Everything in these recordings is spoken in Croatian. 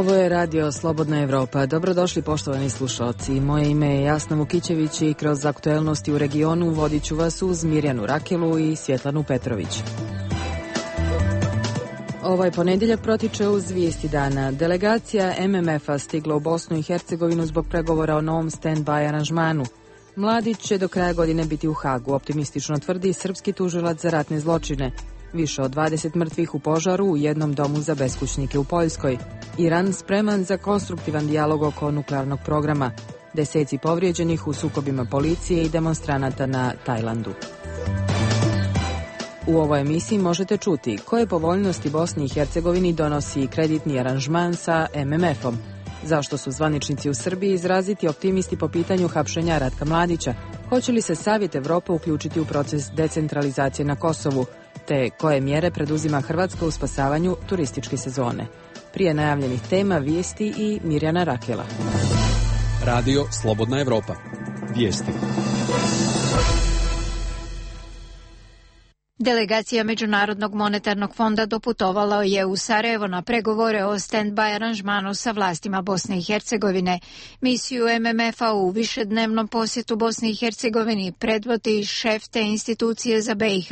Ovo je radio Slobodna Evropa. Dobrodošli poštovani slušalci. Moje ime je Jasna Vukićević i kroz aktuelnosti u regionu vodit ću vas uz Mirjanu Rakelu i Svjetlanu Petrović. Ovaj ponedjeljak protiče uz vijesti dana. Delegacija MMF-a stigla u Bosnu i Hercegovinu zbog pregovora o novom stand-by aranžmanu. Mladić će do kraja godine biti u Hagu, optimistično tvrdi srpski tužilac za ratne zločine. Više od 20 mrtvih u požaru u jednom domu za beskućnike u Poljskoj. Iran spreman za konstruktivan dijalog oko nuklearnog programa. Deseci povrijeđenih u sukobima policije i demonstranata na Tajlandu. U ovoj emisiji možete čuti koje povoljnosti Bosni i Hercegovini donosi kreditni aranžman sa MMF-om. Zašto su zvaničnici u Srbiji izraziti optimisti po pitanju hapšenja Ratka Mladića? Hoće li se Savjet Evrope uključiti u proces decentralizacije na Kosovu? Te koje mjere preduzima Hrvatska u spasavanju turističke sezone? Prije najavljenih tema vijesti i Mirjana Rakela. Radio Slobodna Evropa. Vijesti. Delegacija Međunarodnog monetarnog fonda doputovala je u Sarajevo na pregovore o stand-by aranžmanu sa vlastima Bosne i Hercegovine. Misiju MMF-a u višednevnom posjetu Bosni i Hercegovini predvodi šef te institucije za BiH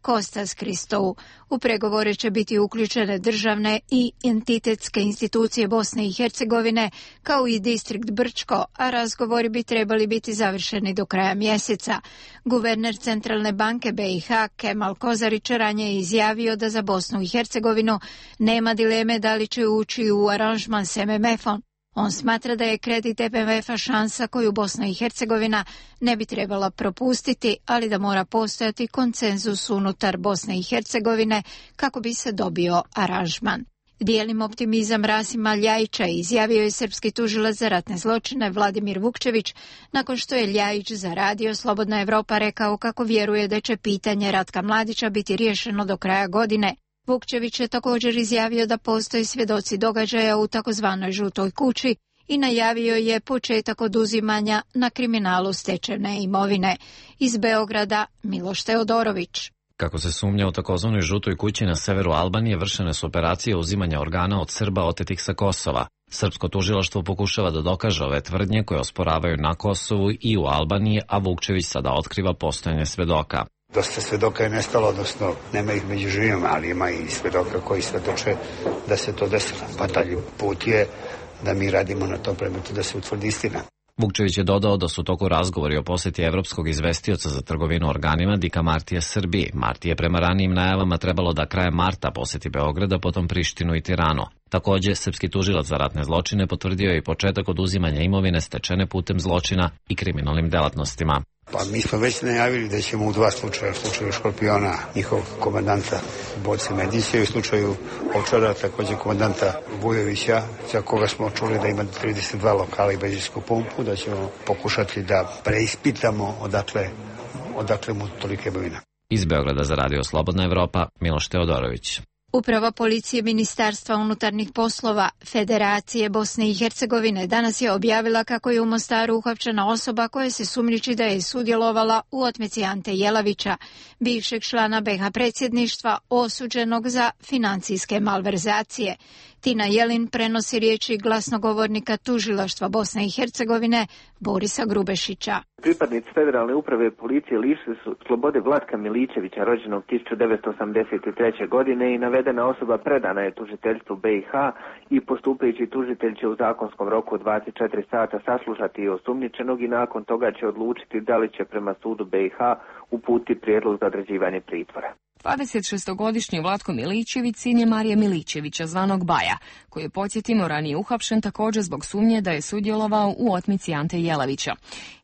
Kostas Kristou. U pregovore će biti uključene državne i entitetske institucije Bosne i Hercegovine, kao i distrikt Brčko, a razgovori bi trebali biti završeni do kraja mjeseca. Guverner Centralne banke BiH Kemal Kozarić ranije izjavio da za Bosnu i Hercegovinu nema dileme da li će ući u aranžman s MMF-om. On smatra da je kredit MMF-a šansa koju Bosna i Hercegovina ne bi trebala propustiti, ali da mora postojati konsenzus unutar Bosne i Hercegovine kako bi se dobio aranžman. Dijelim optimizam Rasima Ljajića, izjavio je srpski tužilac za ratne zločine Vladimir Vukčević, nakon što je Ljajić za radio Slobodna Evropa rekao kako vjeruje da će pitanje Ratka Mladića biti riješeno do kraja godine. Vukčević je također izjavio da postoje svjedoci događaja u takozvanoj žutoj kući i najavio je početak oduzimanja na kriminalu stečene imovine. Iz Beograda Miloš Teodorović. Kako se sumnja u takozvanoj žutoj kući na severu Albanije, vršene su operacije uzimanja organa od Srba otetih sa Kosova. Srpsko tužilaštvo pokušava da dokaže ove tvrdnje koje osporavaju na Kosovu i u Albaniji, a Vukčević sada otkriva postojanje svedoka. Dosta svedoka je nestalo, odnosno nema ih među živima, ali ima i svedoka koji svedoče da se to desilo. Pa taj put je da mi radimo na tom predmetu da se utvrdi istina. Vukčević je dodao da su u toku razgovori o posjeti evropskog izvestioca za trgovinu organima Dika Martija Srbiji. Marti je prema ranijim najavama trebalo da krajem marta posjeti Beograda, potom Prištinu i Tiranu. Također, srpski tužilac za ratne zločine potvrdio je i početak oduzimanja imovine stečene putem zločina i kriminalnim delatnostima. Pa mi smo već najavili da ćemo u dva slučaja, u slučaju Škorpiona, njihovog komandanta Boce Medića i u slučaju Ovčara, također komandanta Vujovića, za koga smo čuli da ima 32 lokala i benzinsku pumpu, da ćemo pokušati da preispitamo odakle mu tolika imovina. Iz Beograda za radio Slobodna Evropa, Miloš Teodorović. Uprava policije Ministarstva unutarnjih poslova Federacije Bosne i Hercegovine danas je objavila kako je u Mostaru uhapšena osoba koja se sumnjiči da je sudjelovala u otmici Ante Jelavića, bivšeg člana BiH predsjedništva osuđenog za financijske malverzacije. Tina Jelin prenosi riječi glasnogovornika tužilaštva Bosne i Hercegovine Borisa Grubešića. Pripadnici federalne uprave policije lišili su slobode Vlatka Miličevića, rođenog 1983. godine, i navedena osoba predana je tužiteljstvu BiH i postupajući tužitelj će u zakonskom roku od 24 sata saslušati osumnjičenog i nakon toga će odlučiti da li će prema sudu BiH uputiti prijedlog za određivanje pritvora. 26-godišnji Vlatko Miličević sin je Marije Miličevića, zvanog Baja, koji je, podsjetimo, ranije uhapšen također zbog sumnje da je sudjelovao u otmici Ante Jelavića.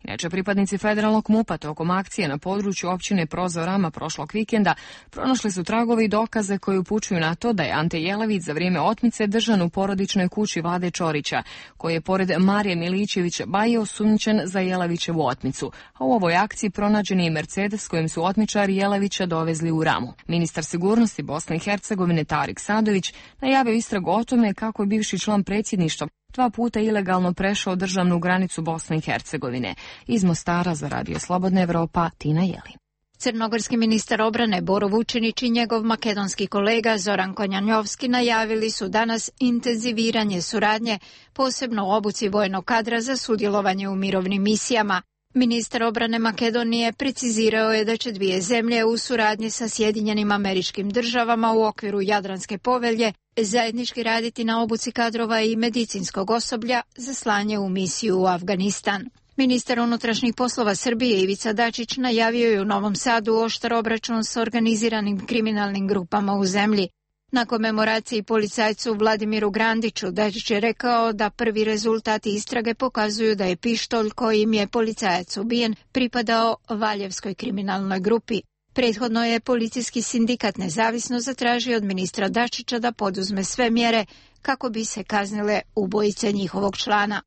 Inače, pripadnici federalnog MUP-a tokom akcije na području općine Prozorama prošlog vikenda pronašli su tragove i dokaze koji upućuju na to da je Ante Jelavić za vrijeme otmice držan u porodičnoj kući Vlade Čorića, koji je pored Marije Miličevića Baje osumnjičen za Jelavićevu otmicu, a u ovoj akciji pronađen je i Mercedes kojim su otmičari Jelavića dovezli u Ramu. Ministar sigurnosti Bosne i Hercegovine Tarik Sadović najavio istragu o tome kako je bivši član predsjedništva 2 puta ilegalno prešao državnu granicu Bosne i Hercegovine. Iz Mostara za radio Slobodna Evropa, Tina Jelin. Crnogorski ministar obrane Boro Vučinić i njegov makedonski kolega Zoran Konjanjovski najavili su danas intenziviranje suradnje, posebno u obuci vojnog kadra za sudjelovanje u mirovnim misijama. Ministar obrane Makedonije precizirao je da će dvije zemlje u suradnji sa Sjedinjenim Američkim Državama u okviru Jadranske povelje zajednički raditi na obuci kadrova i medicinskog osoblja za slanje u misiju u Afganistan. Ministar unutrašnjih poslova Srbije Ivica Dačić najavio je u Novom Sadu oštar obračun s organiziranim kriminalnim grupama u zemlji. Na komemoraciji policajcu Vladimiru Grandiću Dačić je rekao da prvi rezultati istrage pokazuju da je pištolj kojim je policajac ubijen pripadao Valjevskoj kriminalnoj grupi. Prethodno je policijski sindikat Nezavisno zatražio od ministra Dačića da poduzme sve mjere kako bi se kaznile ubojice njihovog člana.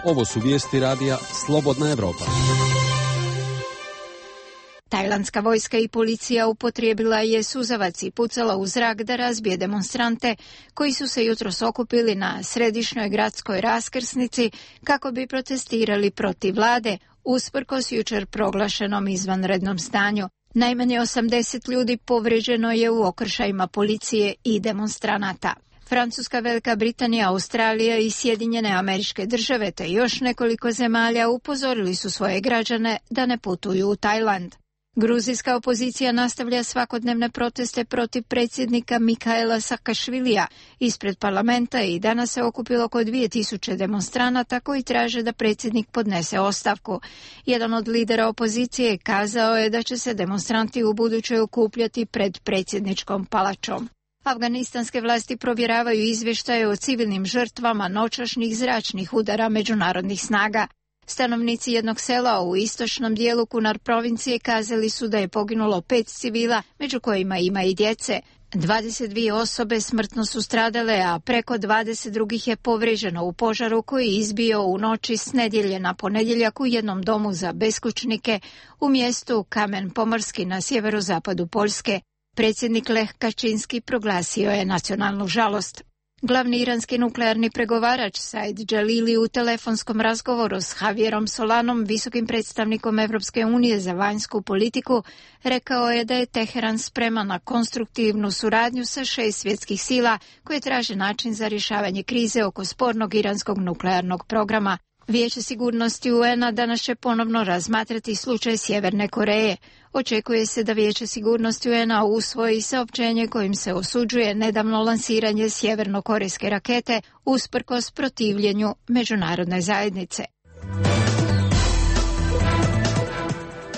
Ovo su vijesti radija Slobodna Evropa. Tajlandska vojska i policija upotrijebila je suzavac i pucala u zrak da razbije demonstrante koji su se jutros okupili na središnjoj gradskoj raskrsnici kako bi protestirali protiv vlade usprkos jučer proglašenom izvanrednom stanju. Najmanje 80 ljudi povrijeđeno je u okršajima policije i demonstranata. Francuska, Velika Britanija, Australija i Sjedinjene Američke Države te još nekoliko zemalja upozorili su svoje građane da ne putuju u Tajland. Gruzijska opozicija nastavlja svakodnevne proteste protiv predsjednika Mikaela Sakašvilija ispred parlamenta i danas se okupilo oko 2000 demonstranata koji traže da predsjednik podnese ostavku. Jedan od lidera opozicije kazao je da će se demonstranti u buduće okupljati pred predsjedničkom palačom. Afganistanske vlasti provjeravaju izvještaje o civilnim žrtvama noćašnjih zračnih udara međunarodnih snaga. Stanovnici jednog sela u istočnom dijelu Kunar provincije kazali su da je poginulo 5 civila, među kojima ima i djece. 22 osobe smrtno su stradale, a preko 20 drugih je povrijeđeno u požaru koji je izbio u noći s nedjelje na ponedjeljak u jednom domu za beskućnike u mjestu Kamen Pomorski na sjeverozapadu Poljske. Predsjednik Lech Kačinski proglasio je nacionalnu žalost. Glavni iranski nuklearni pregovarač Said Jalili u telefonskom razgovoru s Javierom Solanom, visokim predstavnikom Evropske unije za vanjsku politiku, rekao je da je Teheran spreman na konstruktivnu suradnju sa 6 svjetskih sila koje traže način za rješavanje krize oko spornog iranskog nuklearnog programa. Vijeće sigurnosti UN-a danas će ponovno razmatrati slučaj Sjeverne Koreje. Očekuje se da Vijeće sigurnosti UN-a usvoji saopćenje kojim se osuđuje nedavno lansiranje sjevernokorejske rakete usprkos protivljenju međunarodne zajednice.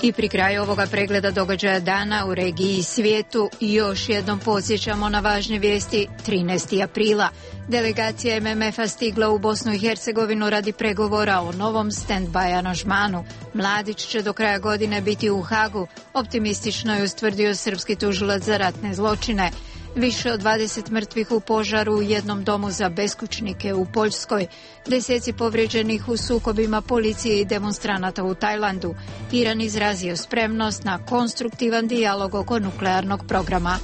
I pri kraju ovoga pregleda događaja dana u regiji i svijetu još jednom podsjećamo na važne vijesti. 13. aprila delegacija MMF-a stigla u Bosnu i Hercegovinu radi pregovora o novom stand-by aranžmanu. Mladić će do kraja godine biti u Hagu, optimistično je ustvrdio srpski tužilac za ratne zločine. Više od 20 mrtvih u požaru u jednom domu za beskućnike u Poljskoj, deseci povrijeđenih u sukobima policije i demonstranata u Tajlandu. Iran izrazio spremnost na konstruktivan dijalog oko nuklearnog programa.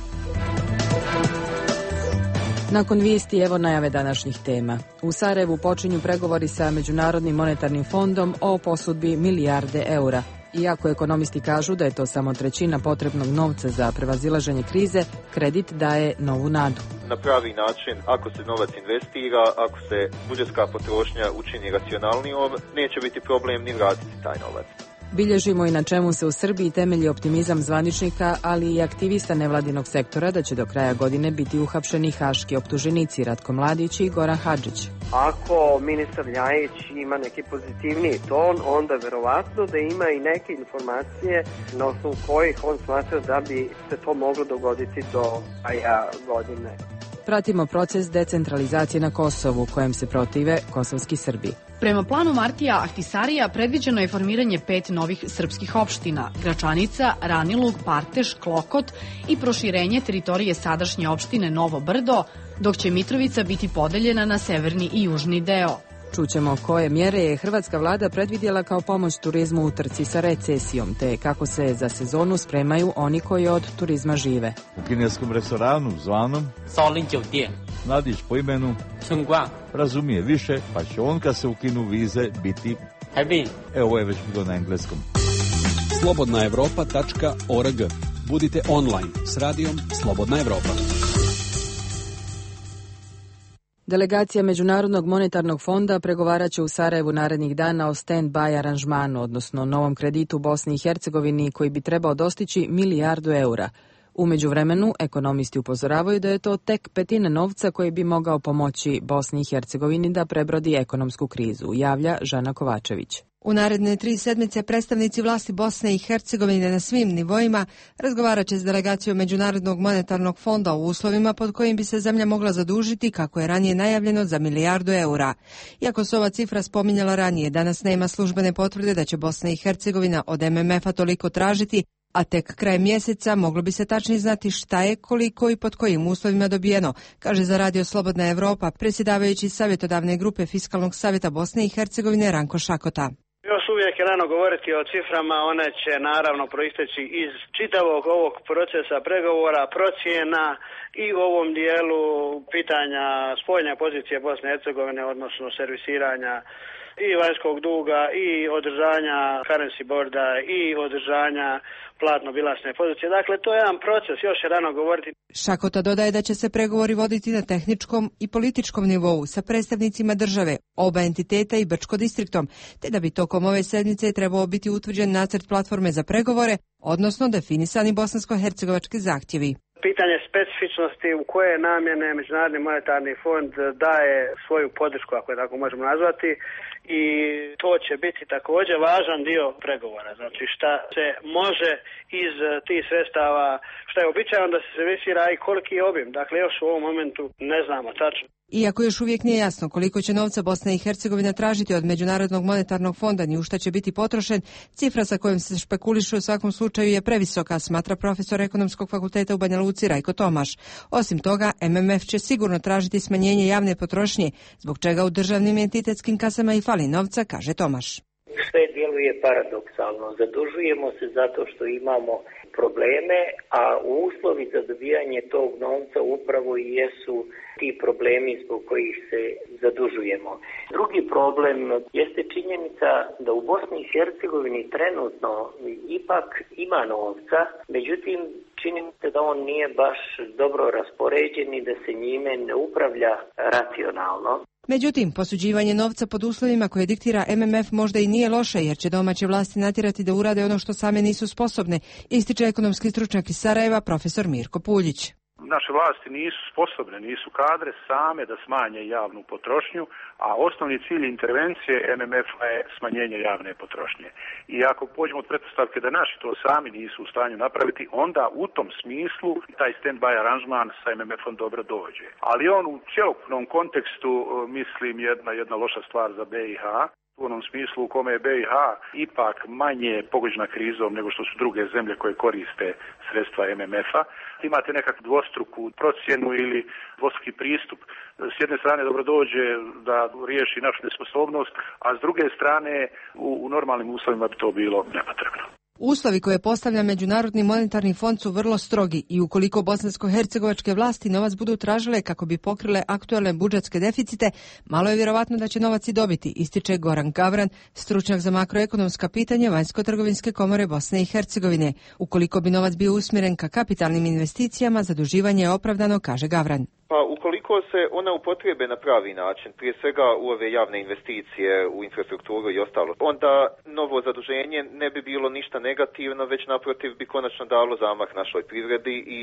Nakon vijesti evo najave današnjih tema. U Sarajevu počinju pregovori sa Međunarodnim monetarnim fondom o posudbi milijarde eura. Iako ekonomisti kažu da je to samo trećina potrebnog novca za prevazilaženje krize, kredit daje novu nadu. Na pravi način, ako se novac investira, ako se budžetska potrošnja učini racionalnijom, neće biti problem ni vratiti taj novac. Bilježimo i na čemu se u Srbiji temelji optimizam zvaničnika, ali i aktivista nevladinog sektora da će do kraja godine biti uhapšeni haški optuženici Ratko Mladić i Goran Hadžić. Ako ministar Ljajić ima neki pozitivniji ton, onda verovatno da ima i neke informacije na osnovu kojih on smatra da bi se to moglo dogoditi do kraja godine. Pratimo proces decentralizacije na Kosovu, kojem se protive kosovski Srbi. Prema planu Martija Ahtisarija predviđeno je formiranje 5 novih srpskih opština: Gračanica, Ranilug, Parteš, Klokot i proširenje teritorije sadašnje opštine Novo Brdo, dok će Mitrovica biti podeljena na severni i južni deo. Čućemo koje mjere je hrvatska vlada predvidjela kao pomoć turizmu u trci sa recesijom, te kako se za sezonu spremaju oni koji od turizma žive. U kineskom restoranu zvanom Nadić po imenu razumije više, pa će on kad se ukinu vize biti... Evo, ovo je već bilo na engleskom. slobodnaevropa.org. Budite online s radijom Slobodna Evropa. Delegacija Međunarodnog monetarnog fonda pregovarat će u Sarajevu narednih dana o stand-by aranžmanu, odnosno novom kreditu Bosni i Hercegovini koji bi trebao dostići €1 milijardu. U međuvremenu, ekonomisti upozoravaju da je to tek petina novca koji bi mogao pomoći Bosni i Hercegovini da prebrodi ekonomsku krizu, javlja Žana Kovačević. U naredne 3 sedmice predstavnici vlasti Bosne i Hercegovine na svim nivoima razgovarat će s delegacijom Međunarodnog monetarnog fonda o uslovima pod kojim bi se zemlja mogla zadužiti, kako je ranije najavljeno, za €1 milijardu. Iako se ova cifra spominjala ranije, danas nema službene potvrde da će Bosna i Hercegovina od MMF-a toliko tražiti, a tek krajem mjeseca moglo bi se tačnije znati šta je, koliko i pod kojim uslovima dobijeno, kaže za Radio Slobodna Evropa predsjedavajući savjetodavne grupe Fiskalnog savjeta Bosne i Hercegovine Ranko Šakota. Još uvijek je rano govoriti o ciframa, one će naravno proisteći iz čitavog ovog procesa pregovora, procjena i u ovom dijelu pitanja spoljne pozicije Bosne i Hercegovine, odnosno servisiranja i vanjskog duga i održanja currency boarda i održanja platno-bilansne pozicije. Dakle, to je jedan proces, još je rano govoriti. Šakota dodaje da će se pregovori voditi na tehničkom i političkom nivou sa predstavnicima države, oba entiteta i Brčko-distriktom, te da bi tokom ove sedmice trebao biti utvrđen nacrt platforme za pregovore, odnosno definisani bosansko-hercegovački zahtjevi. Pitanje specifičnosti u koje namjene Međunarodni monetarni fond daje svoju podršku, ako je tako možemo nazvati, i to će biti također važan dio pregovora. Znači šta se može iz tih sredstava, šta je običajno da se servisira i koliki je obim. Dakle, još u ovom momentu ne znamo tačno. Iako još uvijek nije jasno koliko će novca Bosna i Hercegovina tražiti od Međunarodnog monetarnog fonda ni u šta će biti potrošen, cifra sa kojom se špekuliše u svakom slučaju je previsoka, smatra profesor Ekonomskog fakulteta u Banja Luci Rajko Tomaš. Osim toga, MMF će sigurno tražiti smanjenje javne potrošnje, zbog čega u državnim entitetskim kasama i fali novca, kaže Tomaš. Sve djeluje paradoksalno. Zadužujemo se zato što imamo probleme, a uslovi za dobijanje tog novca upravo i jesu ti problemi zbog kojih se zadužujemo. Drugi problem jeste činjenica da u Bosni i Hercegovini trenutno ipak ima novca, međutim čini se da on nije baš dobro raspoređen i da se njime ne upravlja racionalno. Međutim, posuđivanje novca pod uslovima koje diktira MMF možda i nije loše, jer će domaće vlasti natjerati da urade ono što same nisu sposobne, ističe ekonomski stručnjak iz Sarajeva profesor Mirko Puljić. Naše vlasti nisu sposobne, nisu kadre same da smanje javnu potrošnju, a osnovni cilj intervencije MMF-a je smanjenje javne potrošnje. I ako pođemo od pretpostavke da naši to sami nisu u stanju napraviti, onda u tom smislu taj stand-by aranžman sa MMF-om dobro dođe. Ali on u cjelokupnom kontekstu, mislim, jedna loša stvar za BiH, u onom smislu u kome je BiH ipak manje pogođena krizom nego što su druge zemlje koje koriste sredstva MMF-a. Imate nekakvu dvostruku procjenu ili dvostruki pristup. S jedne strane dobro dođe da riješi našu nesposobnost, a s druge strane u normalnim uslovima bi to bilo nepotrebno. Uslovi koje postavlja Međunarodni monetarni fond su vrlo strogi i ukoliko bosansko-hercegovačke vlasti novac budu tražile kako bi pokrile aktualne budžetske deficite, malo je vjerovatno da će novac i dobiti, ističe Goran Gavran, stručnjak za makroekonomska pitanja Vanjsko-trgovinske komore Bosne i Hercegovine. Ukoliko bi novac bio usmjeren ka kapitalnim investicijama, zaduživanje je opravdano, kaže Gavran. Pa ukoliko se ona upotrebe na pravi način, prije svega u ove javne investicije, u infrastrukturu i ostalo, onda novo zaduženje ne bi bilo ništa negativno, već naprotiv bi konačno dalo zamah našoj privredi i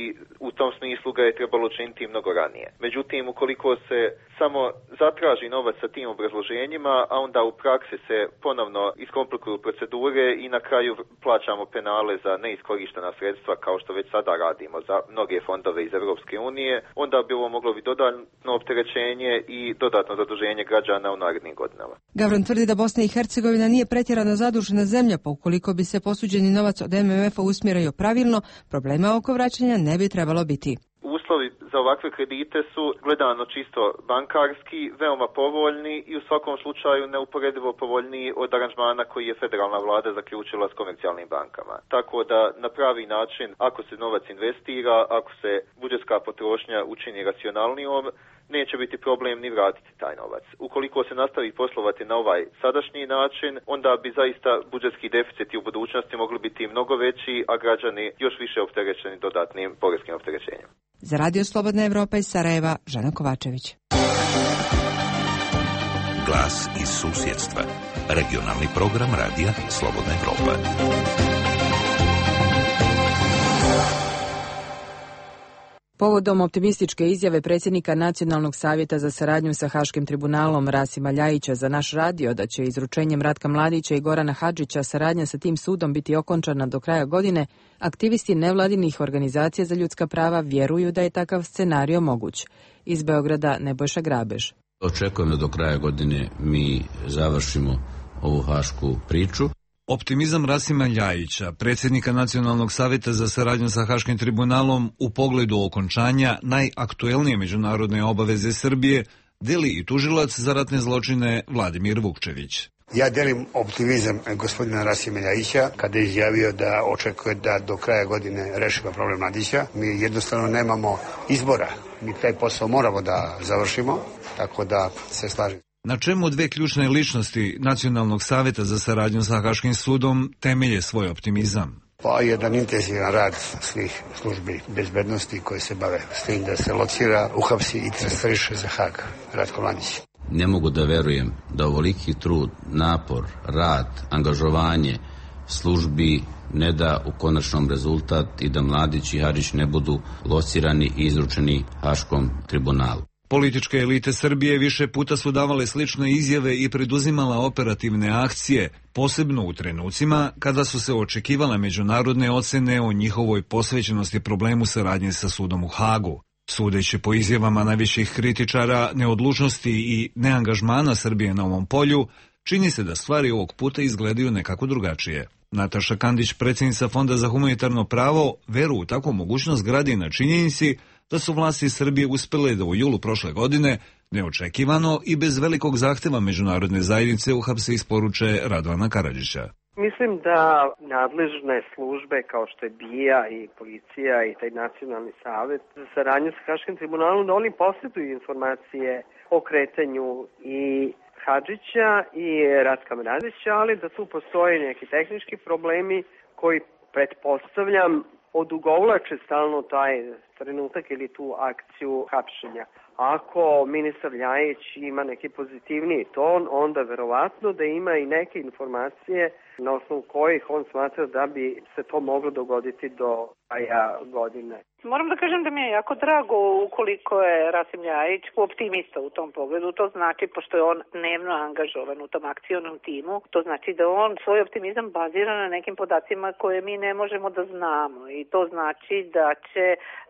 u tom smislu ga je trebalo učiniti mnogo ranije. Međutim, ukoliko se samo zatraži novac sa tim obrazloženjima, a onda u praksi se ponovno iskomplikuju procedure i na kraju plaćamo penale za neiskorištena sredstva, kao što već sada radimo za mnoge fondove iz Europske unije, onda bi ovo moglo bi dodatno opterećenje i dodatno zaduženje građana u narednim godinama. Gavran tvrdi da Bosna i Hercegovina nije pretjerano zadužena zemlja, pa ukoliko bi se posuđeni novac od MMF-a usmjerio pravilno, problema oko vraćanja ne bi trebalo biti. Uslovi za ovakve kredite su, gledano čisto bankarski, veoma povoljni i u svakom slučaju neuporedivo povoljniji od aranžmana koji je federalna vlada zaključila s komercijalnim bankama. Tako da na pravi način, ako se novac investira, ako se budžetska potrošnja učini racionalnijom, neće biti problem ni vratiti taj novac. Ukoliko se nastavi poslovati na ovaj sadašnji način, onda bi zaista budžetski deficiti u budućnosti mogli biti mnogo veći, a građani još više opterećeni dodatnim poreskim opterećenjem. Za Radio Slobodna Evropa iz Sarajeva, Žana Kovačević. Glas iz susjedstva. Regionalni program radija Slobodna Evropa. Povodom optimističke izjave predsjednika Nacionalnog savjeta za saradnju sa Haškim tribunalom Rasima Ljajića za naš radio da će izručenjem Ratka Mladića i Gorana Hadžića saradnja sa tim sudom biti okončana do kraja godine, aktivisti nevladinih organizacija za ljudska prava vjeruju da je takav scenario moguć. Iz Beograda Nebojša Grabež. Očekujem da do kraja godine mi završimo ovu hašku priču. Optimizam Rasima Ljajića, predsjednika Nacionalnog savjeta za saradnju sa Haškim tribunalom u pogledu okončanja najaktuelnije međunarodne obaveze Srbije, deli i tužilac za ratne zločine Vladimir Vukčević. Ja delim optimizam gospodina Rasima Ljajića kada je izjavio da očekuje da do kraja godine rešimo problem Mladića. Mi jednostavno nemamo izbora. Mi taj posao moramo da završimo, tako da se slažem. Na čemu dve ključne ličnosti Nacionalnog savjeta za saradnju sa Haškim sudom temelje svoj optimizam? Pa jedan intenzivan rad svih službi bezbednosti koje se bave s tim da se locira, uhapsi i transferiše za Hag Ratko Mladić. Ne mogu da verujem da ovoliki trud, napor, rad, angažovanje službi ne da u konačnom rezultat i da Mladić i Hadžić ne budu locirani i izručeni Haškom tribunalu. Političke elite Srbije više puta su davale slične izjave i preduzimala operativne akcije, posebno u trenucima kada su se očekivale međunarodne ocene o njihovoj posvećenosti problemu saradnje sa sudom u Hagu. Sudeći po izjavama najviših kritičara neodlučnosti i neangažmana Srbije na ovom polju, čini se da stvari ovog puta izgledaju nekako drugačije. Nataša Kandić, predsjednica Fonda za humanitarno pravo, veru u takvu mogućnost gradi na činjenici da su vlasti Srbije uspjele da u julu prošle godine neočekivano i bez velikog zahteva međunarodne zajednice uhapse isporuče Radovana Karadžića. Mislim da nadležne službe kao što je BIA i policija i taj nacionalni savjet za saradnju sa Haškim tribunalom, da oni posjeduju informacije o kretanju i Hadžića i Ratka Mladića, ali da tu postoje neki tehnički problemi koji pretpostavljam odugovlače stalno taj trenutak ili tu akciju hapšenja. Ako ministar Ljajić ima neki pozitivniji ton, onda verovatno da ima i neke informacije na osnovu kojih on smatra da bi se to moglo dogoditi do kraja godine. Moram da kažem da mi je jako drago ukoliko je Rasim Ljajić optimista u tom pogledu. To znači, pošto je on dnevno angažovan u tom akcionom timu, to znači da on svoj optimizam bazira na nekim podacima koje mi ne možemo da znamo. I to znači da će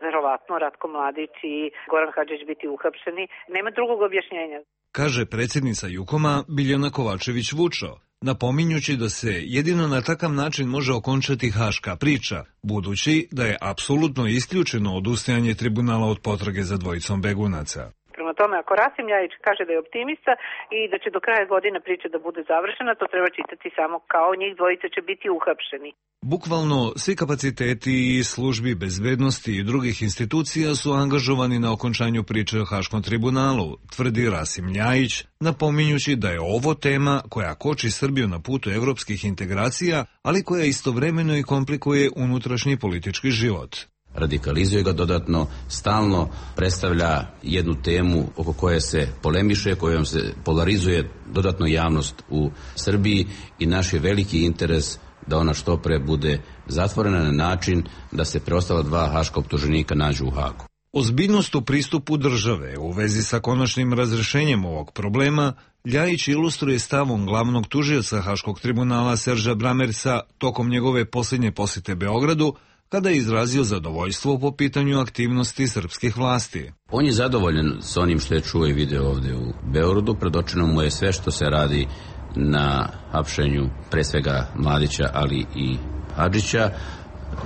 verovatno Ratko Mladić i Goran Hadžić biti uhapšeni. Nema drugog objašnjenja. Kaže predsjednica Jukoma Biljana Kovačević-Vučo, napominjući da se jedino na takav način može okončati haška priča, budući da je apsolutno isključeno odustajanje tribunala od potrage za dvojicom begunaca. Prema tome, ako Rasim Ljajić kaže da je optimista i da će do kraja godine priča da bude završena, to treba čitati samo kao njih dvojica će biti uhapšeni. Bukvalno svi kapaciteti i službi bezbednosti i drugih institucija su angažovani na okončanju priče o Haškom tribunalu, tvrdi Rasim Ljajić, napominjući da je ovo tema koja koči Srbiju na putu evropskih integracija, ali koja istovremeno i komplikuje unutrašnji politički život. Radikalizuje ga dodatno, stalno predstavlja jednu temu oko koje se polemiše, kojom se polarizuje dodatno javnost u Srbiji i naš je veliki interes da ona što pre bude zatvorena na način da se preostala dva haška optuženika nađu u Hagu. Ozbiljnost u pristupu države u vezi sa konačnim razrešenjem ovog problema Ljajić ilustruje stavom glavnog tužioca Haškog tribunala Serža Bramerca tokom njegove posljednje posjete Beogradu, kada je izrazio zadovoljstvo po pitanju aktivnosti srpskih vlasti. On je zadovoljan s onim što je čuo i video ovdje u Beogradu. Predočeno mu je sve što se radi na hapšenju pre svega Mladića, ali i Hadžića.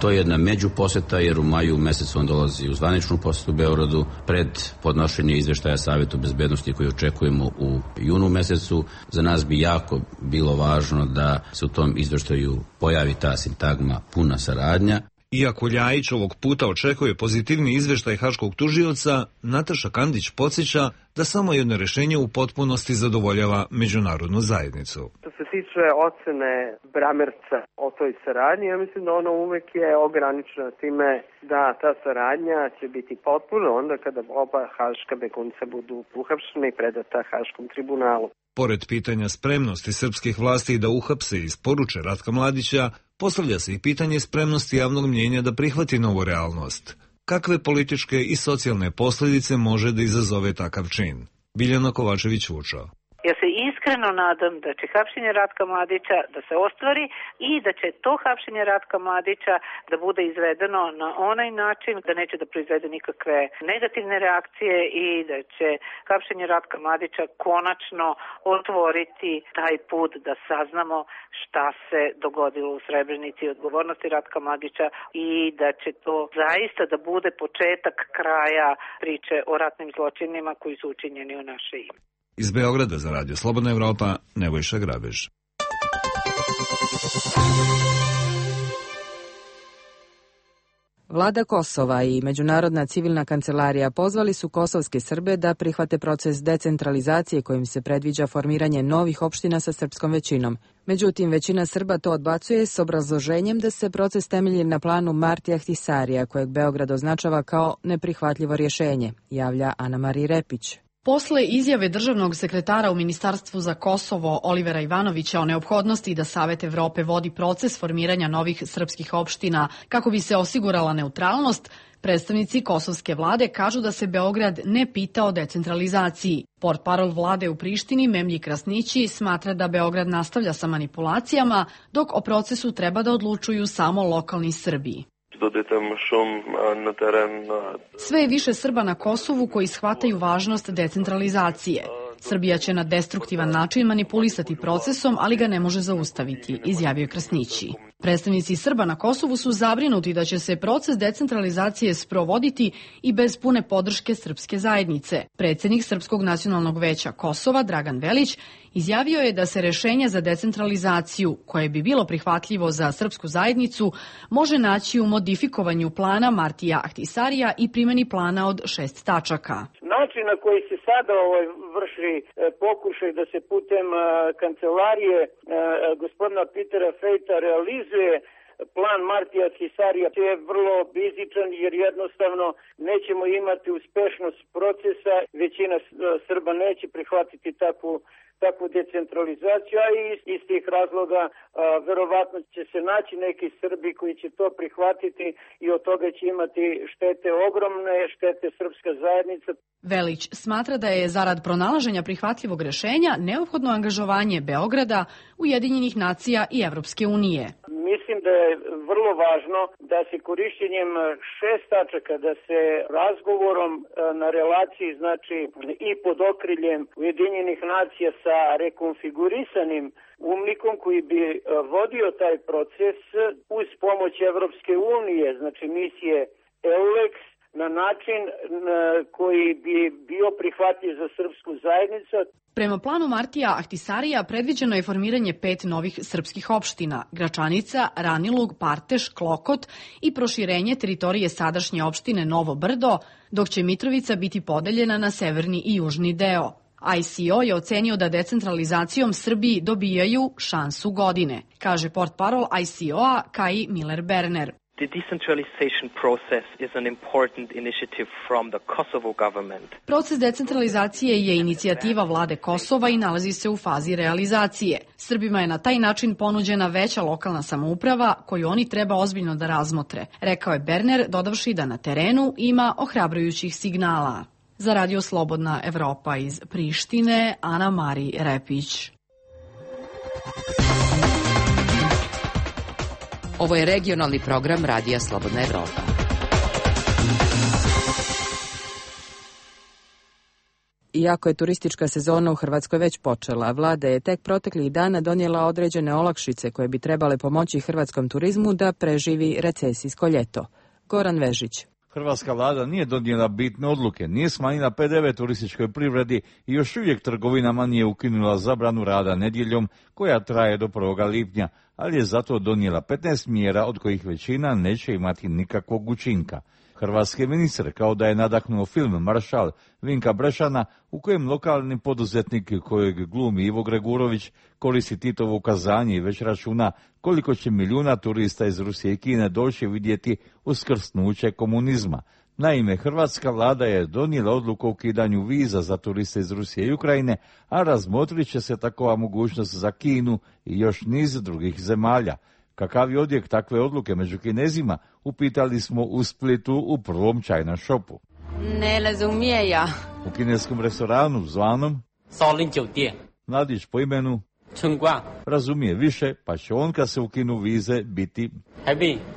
To je jedna međuposeta jer u maju mesecu on dolazi u zvaničnu posetu u Beogradu pred podnošenje izveštaja Savetu bezbednosti koji očekujemo u junu mesecu. Za nas bi jako bilo važno da se u tom izveštaju pojavi ta sintagma puna saradnja. Iako Ljajić ovog puta očekuje pozitivni izveštaj haškog tužioca, Nataša Kandić podsjeća da samo jedno rešenje u potpunosti zadovoljava međunarodnu zajednicu. Što se tiče ocene Bramerca o toj saradnji, ja mislim da ono uvek je ograničena time da ta saradnja će biti potpuno onda kada oba haška begunca budu uhapšeni i predata Haškom tribunalu. Pored pitanja spremnosti srpskih vlasti da uhapse i isporuče Ratka Mladića, postavlja se i pitanje spremnosti javnog mnjenja da prihvati novu realnost. Kakve političke i socijalne posljedice može da izazove takav čin? Biljana Kovačević-Vučo. Ja se iskreno nadam da će hapšenje Ratka Mladića da se ostvari i da će to hapšenje Ratka Mladića da bude izvedeno na onaj način da neće da proizvede nikakve negativne reakcije i da će hapšenje Ratka Mladića konačno otvoriti taj put da saznamo šta se dogodilo u Srebrenici i odgovornosti Ratka Mladića i da će to zaista da bude početak kraja priče o ratnim zločinima koji su učinjeni u naše ime. Iz Beograda za Radio Slobodna Evropa, Nebojša Grabež. Vlada Kosova i Međunarodna civilna kancelarija pozvali su kosovske Srbe da prihvate proces decentralizacije kojim se predviđa formiranje novih opština sa srpskom većinom. Međutim, većina Srba to odbacuje s obrazloženjem da se proces temelji na planu Martija Ahtisarija, kojeg Beograd označava kao neprihvatljivo rješenje, javlja Ana-Marija Repić. Posle izjave državnog sekretara u Ministarstvu za Kosovo Olivera Ivanovića o neophodnosti da Savet Evrope vodi proces formiranja novih srpskih opština kako bi se osigurala neutralnost, predstavnici kosovske vlade kažu da se Beograd ne pita o decentralizaciji. Portparol vlade u Prištini Memlji Krasnići smatra da Beograd nastavlja sa manipulacijama, dok o procesu treba da odlučuju samo lokalni Srbi. Sve je više Srba na Kosovu koji shvataju važnost decentralizacije. Srbija će na destruktivan način manipulisati procesom, ali ga ne može zaustaviti, izjavio Krasnići. Predstavnici Srba na Kosovu su zabrinuti da će se proces decentralizacije sprovoditi i bez pune podrške srpske zajednice. Predsjednik Srpskog nacionalnog veća Kosova, Dragan Velić, izjavio je da se rešenje za decentralizaciju, koje bi bilo prihvatljivo za srpsku zajednicu, može naći u modifikovanju plana Martija Ahtisarija i primjeni plana od 6 tačaka. Način na koji se sada vrši pokušaj da se putem kancelarije gospodina Petera Fejta realizuje plan Martija Ahtisarija je vrlo rizičan jer jednostavno nećemo imati uspešnost procesa, većina Srba neće prihvatiti takvu decentralizaciju, a iz tih razloga verovatno će se naći neki Srbi koji će to prihvatiti i od toga će imati štete, ogromne štete srpska zajednica. Velić smatra da je zarad pronalaženja prihvatljivog rešenja neophodno angažovanje Beograda, Ujedinjenih nacija i Evropske unije. Mislim da je vrlo važno da se korišćenjem 6 tačaka, da se razgovorom na relaciji, znači i pod okriljem Ujedinjenih nacija sa rekonfigurisanim umnikom koji bi vodio taj proces uz pomoć Evropske unije, znači misije EULEX, na način koji bi bio prihvatljiv za srpsku zajednicu. Prema planu Martija Ahtisarija predviđeno je formiranje 5 novih srpskih opština: Gračanica, Ranilug, Parteš, Klokot i proširenje teritorije sadašnje opštine Novo Brdo, dok će Mitrovica biti podeljena na severni i južni deo. ICO je ocenio da decentralizacijom Srbiji dobijaju šansu godine, kaže portparol ICO-a Kai Miller-Berner. The decentralization process is an important initiative from the Kosovo government. Proces decentralizacije je inicijativa vlade Kosova i nalazi se u fazi realizacije. Srbima je na taj način ponuđena veća lokalna samouprava koju oni treba ozbiljno da razmotre, rekao je Berner, dodavši da na terenu ima ohrabrujućih signala. Za Radio Slobodna Evropa iz Prištine, Ana-Marija Repić. Ovo je regionalni program Radija Slobodna Evropa. Iako je turistička sezona u Hrvatskoj već počela, vlada je tek proteklih dana donijela određene olakšice koje bi trebale pomoći hrvatskom turizmu da preživi recesijsko ljeto. Goran Vežić. Hrvatska vlada nije donijela bitne odluke, nije smanjila PDV turističkoj privredi i još uvijek trgovinama nije ukinula zabranu rada nedjeljom koja traje do 1. lipnja, ali je zato donijela 15 mjera od kojih većina neće imati nikakvog učinka. Hrvatski ministar, kao da je nadahnuo film Maršal Vinka Brešana, u kojem lokalni poduzetnik kojeg glumi Ivo Gregurović koristi Titovo ukazanje i već računa koliko će milijuna turista iz Rusije i Kine doći vidjeti uskrsnuće komunizma. Naime, hrvatska vlada je donijela odluku o ukidanju viza za turiste iz Rusije i Ukrajine, a razmotrit će se takova mogućnost za Kinu i još niz drugih zemalja. Kakav je odjek takve odluke među Kinezima, upitali smo u Splitu u prvom China shopu. Ne razumije ja. U kineskom restoranu zvanom mladić po imenu razumije više, pa će on kad se ukinu vize biti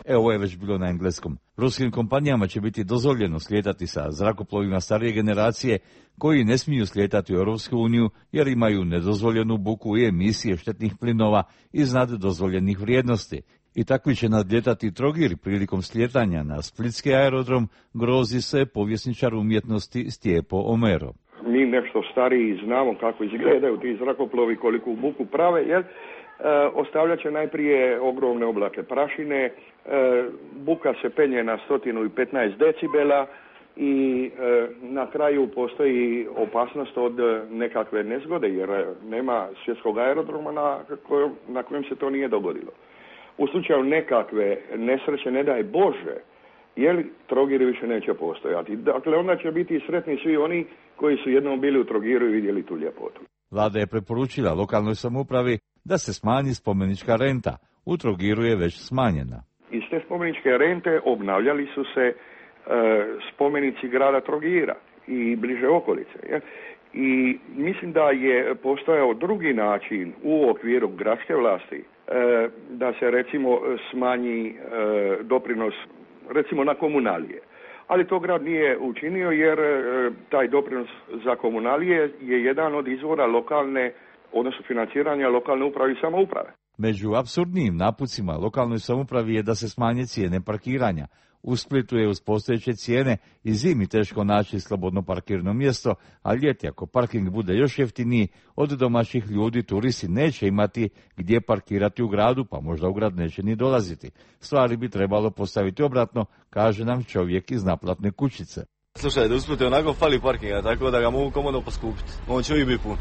ovo je već bilo na engleskom. Ruskim kompanijama će biti dozvoljeno slijetati sa zrakoplovima starije generacije koji ne smiju slijetati u Europsku uniju jer imaju nedozvoljenu buku i emisije štetnih plinova iznad dozvoljenih vrijednosti. I takvi će nadljetati Trogir prilikom slijetanja na splitski aerodrom, grozi se povjesničar umjetnosti Stjepo Omero. Mi nešto stariji znamo kako izgledaju ti zrakoplovi, koliko buku prave, jer ostavljat će najprije ogromne oblake prašine, buka se penje na 115 decibela i na kraju postoji opasnost od nekakve nezgode, jer nema svjetskog aerodroma na kojem se to nije dogodilo. U slučaju nekakve nesreće, ne daj Bože, Trogir više neće postojati. Dakle, onda će biti sretni svi oni koji su jednom bili u Trogiru i vidjeli tu ljepotu. Vlada je preporučila lokalnoj samoupravi da se smanji spomenička renta. U Trogiru je već smanjena. Iz te spomeničke rente obnavljali su se spomenici grada Trogira i bliže okolice. I mislim da je postojao drugi način u okviru gradske vlasti da se recimo smanji doprinos recimo na komunalije. Ali to grad nije učinio jer taj doprinos za komunalije je jedan od izvora lokalne, odnosno financiranja lokalne uprave i samouprave. Među apsurdnijim napucima lokalnoj samoupravi je da se smanje cijene parkiranja. U Splitu je uz postojeće cijene i zimi teško naći slobodno parkirno mjesto, a ljeti ako parking bude još jeftiniji, od domaćih ljudi turisti neće imati gdje parkirati u gradu, pa možda u grad neće ni dolaziti. Stvari bi trebalo postaviti obratno, kaže nam čovjek iz naplatne kućice. Slušaj, u Splitu onako fali parkinga, tako da ga mogu komodno poskupiti. On će uvijek biti pun.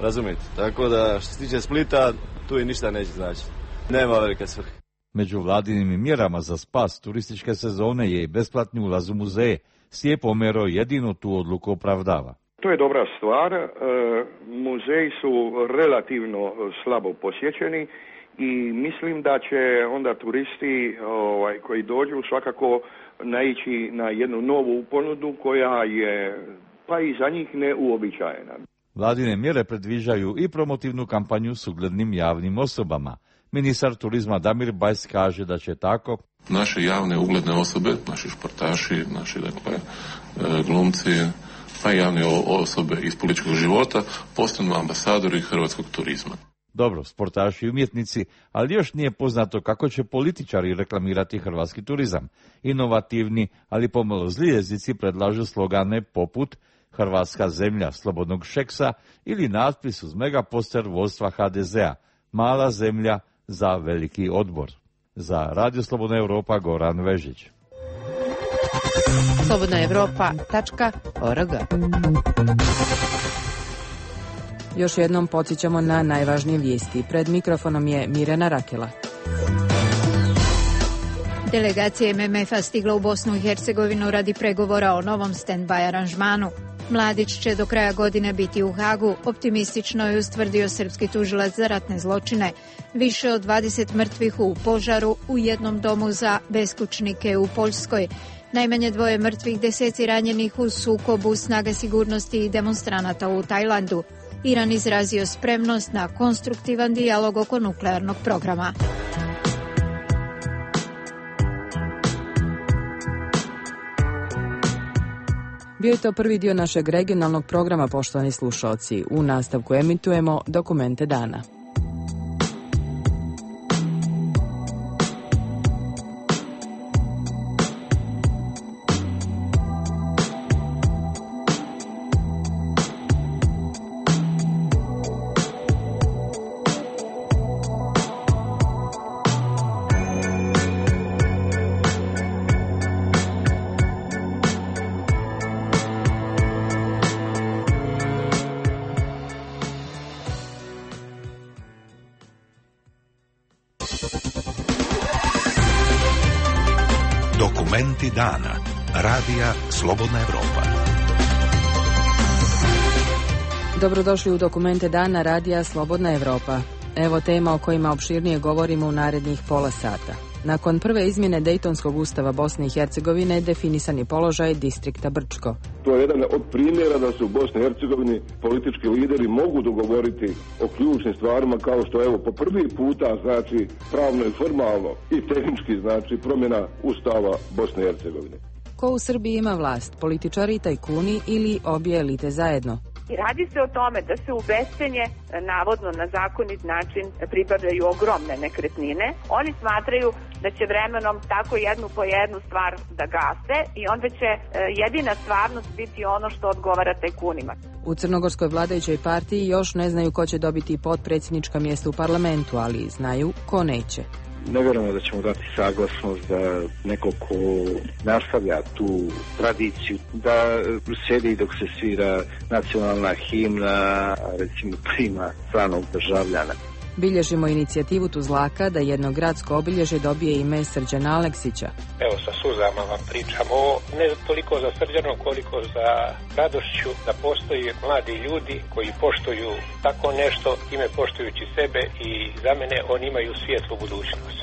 Razumijete? Tako da što se tiče Splita, tu i ništa neće znači. Nema velike svrhe. Među vladinim mjerama za spas turističke sezone je i besplatni ulaz u muzeje. Stjepo Omero jedino tu odluku opravdava. To je dobra stvar. Muzeji su relativno slabo posjećeni i mislim da će onda turisti koji dođu svakako naići na jednu novu ponudu koja je pa i za njih neuobičajena. Vladine mjere predviđaju i promotivnu kampanju s uglednim javnim osobama. Ministar turizma Damir Bajs kaže da će tako naše javne ugledne osobe, naši športaši, naši glumci, pa i javne osobe iz političkog života postanu ambasadori hrvatskog turizma. Dobro, sportaši i umjetnici, ali još nije poznato kako će političari reklamirati hrvatski turizam. Inovativni, ali pomalo zli jezici predlažu slogane poput Hrvatska zemlja slobodnog Šeksa ili natpis uz megaposter vodstva HDZ-a, mala zemlja za veliki odbor. Za Radio Slobodna Europa, Goran Vežić. slobodnaevropa.org. Još jednom podsjećamo na najvažnije vijesti. Pred mikrofonom je Mirjana Rakela. Delegacija MMF-a stigla u Bosnu i Hercegovinu radi pregovora o novom stand-by aranžmanu. Mladić će do kraja godine biti u Hagu, optimistično je ustvrdio srpski tužilac za ratne zločine. Više od 20 mrtvih u požaru u jednom domu za beskućnike u Poljskoj. Najmanje 2 mrtvih, 10 ranjenih u sukobu snaga sigurnosti i demonstranata u Tajlandu. Iran izrazio spremnost na konstruktivan dijalog oko nuklearnog programa. Bio je to prvi dio našeg regionalnog programa, poštovani slušalci. U nastavku emitujemo Dokumente dana. Dokumenti dana. Radija Slobodna Evropa. Dobrodošli u Dokumente dana Radija Slobodna Evropa. Evo tema o kojima opširnije govorimo u narednih pola sata. Nakon prve izmjene Dejtonskog ustava Bosne i Hercegovine definisan je položaj distrikta Brčko. To je jedan od primjera da se u Bosni i Hercegovini politički lideri mogu dogovoriti o ključnim stvarima, kao što evo po prvi puta znači pravno i formalno i tehnički znači promjena ustava Bosne i Hercegovine. Ko u Srbiji ima vlast, političari i tajkuni ili obje elite zajedno? I radi se o tome da se u bescenje, navodno na zakonit način, pribavljaju ogromne nekretnine. Oni smatraju da će vremenom tako jednu po jednu stvar da gase i onda će jedina stvarnost biti ono što odgovara tajkunima. U crnogorskoj vladajućoj partiji još ne znaju ko će dobiti potpredsjednička mjesta u parlamentu, ali znaju ko neće. Ne vjerujemo da ćemo dati saglasnost da neko ko nastavlja tu tradiciju, da sjedi dok se svira nacionalna himna, recimo prima stranog državljana. Bilježimo inicijativu Tuzlaka da jedno gradsko obilježje dobije ime Srđana Aleksića. Evo sa suzama vam pričam ovo, ne toliko za Srđanom koliko za radošću da postoji mladi ljudi koji poštuju tako nešto, time poštujući sebe i za mene oni imaju svijetlu budućnost.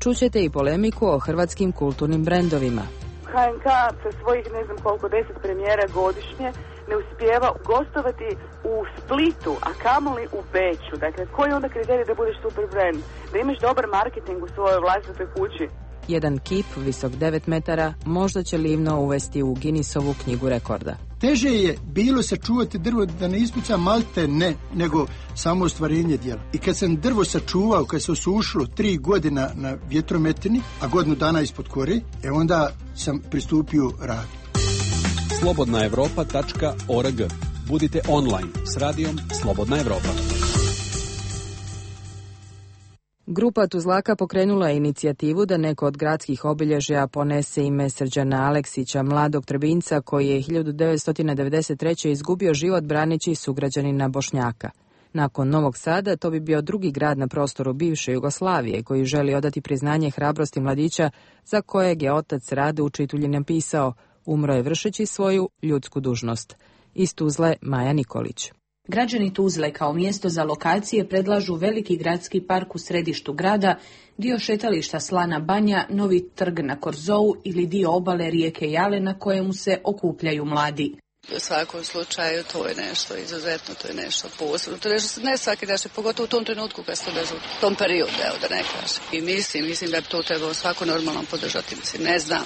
Čućete i polemiku o hrvatskim kulturnim brendovima. HNK sa svojih ne znam koliko 10 premijera godišnje ne uspijeva gostovati u Splitu, a kamoli u Beću. Dakle, koji je onda kriterij da budeš super brand? Da imaš dobar marketing u svojoj vlastitoj kući? Jedan kip, visok 9 metara, možda će Livno uvesti u Guinnessovu knjigu rekorda. Teže je bilo sačuvati drvo da ne ispuca malte ne, nego samo ostvarenje djela. I kad sam drvo sačuvao, kad se osušilo 3 godina na vjetrometini, a godinu dana ispod kore, onda sam pristupio radu. slobodnaevropa.org. Budite online s radijom Slobodna Evropa. Grupa Tuzlaka pokrenula je inicijativu da neko od gradskih obilježja ponese ime Srđana Aleksića, mladog Trebinjca koji je 1993. izgubio život braneći sugrađanina Bošnjaka. Nakon Novog Sada to bi bio drugi grad na prostoru bivše Jugoslavije koji želi odati priznanje hrabrosti mladića za kojeg je otac Rade Učitulji napisao: umro je vršeći svoju ljudsku dužnost. Iz Tuzle Maja Nikolić. Građani Tuzle kao mjesto za lokacije predlažu veliki gradski park u središtu grada, dio šetališta Slana Banja, novi trg na Korzou ili dio obale rijeke Jale na kojemu se okupljaju mladi. U svakom slučaju to je nešto izuzetno, to je nešto posebno, to je nešto ne svaki dan, pogotovo u tom trenutku kad se to desilo, u tom periodu, evo da ne kažem. I mislim da bi to trebalo svako normalno podržati, ne znam.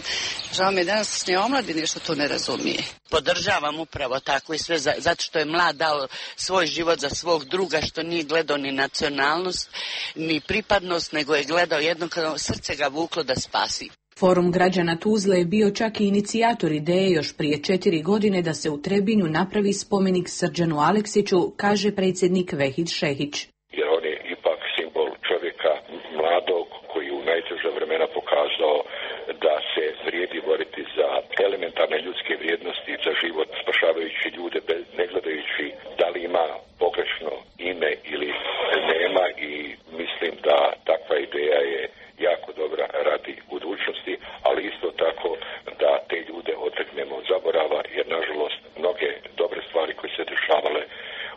Žao mi je današnje omladine što to ne razumije. Podržavam upravo tako i sve zato što je mlad dao svoj život za svog druga, što nije gledao ni nacionalnost, ni pripadnost, nego je gledao jednokratno, srce ga vuklo da spasi. Forum građana Tuzle je bio čak i inicijator ideje još prije 4 godine da se u Trebinju napravi spomenik Srđanu Aleksiću, kaže predsjednik Vehid Šehić. Jer on je ipak simbol čovjeka mladog koji u najteža vremena pokazao da se vrijedi boriti za elementarne ljudske vrijednosti, za život, spašavajući ljude, ne gledajući da li ima pogrešno ime ili nema, i mislim da takva ideja je jako dobra radi budućnosti, ali isto tako da te ljude odreknemo od zaborava, jer nažalost mnoge dobre stvari koje se dešavale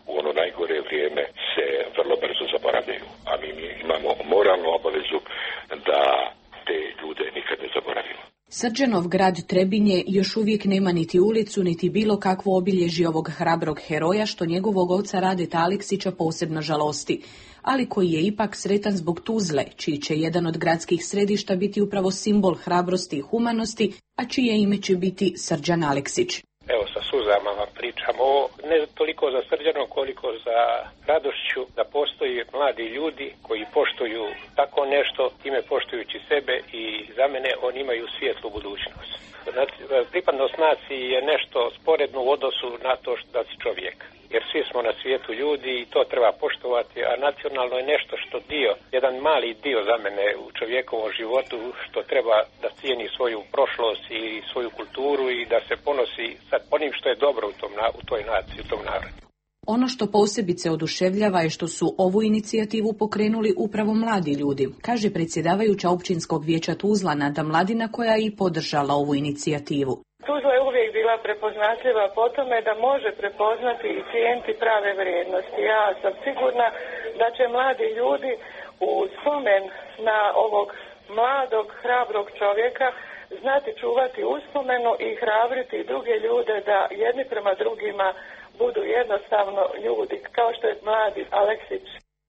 u ono najgore vrijeme se vrlo brzo zaboravljaju, a mi imamo moralnu obavezu da te ljude nikad ne zaboravimo. Srđanov grad Trebinje još uvijek nema niti ulicu, niti bilo kakvo obilježje ovog hrabrog heroja, što njegovog oca Radeta Aleksića posebno žalosti, ali koji je ipak sretan zbog Tuzle, čiji će jedan od gradskih središta biti upravo simbol hrabrosti i humanosti, a čije ime će biti Srđan Aleksić. Evo sa suzama vam pričam ovo, ne toliko za Srđanom koliko za radošću da postoji mladi ljudi koji poštuju tako nešto, time poštujući sebe i za mene oni imaju svijetlu budućnost. Pripadnost naciji je nešto sporedno u odnosu na to da si čovjek. Jer svi smo na svijetu ljudi i to treba poštovati, a nacionalno je nešto što jedan mali dio za mene u čovjekovom životu što treba da cijeni svoju prošlost i svoju kulturu i da se ponosi sa onim što je dobro u toj naciji, u tom narodu. Ono što posebice oduševljava je što su ovu inicijativu pokrenuli upravo mladi ljudi, kaže predsjedavajuća općinskog vijeća Tuzla Nada Mladina, koja je i podržala ovu inicijativu. Tuzla je uvijek bila prepoznatljiva po tome da može prepoznati i cijeniti prave vrijednosti. Ja sam sigurna da će mladi ljudi u spomen na ovog mladog, hrabrog čovjeka znati čuvati uspomenu i hrabriti druge ljude da jedni prema drugima budu jednostavno ljudi, kao što je mladi Aleksić.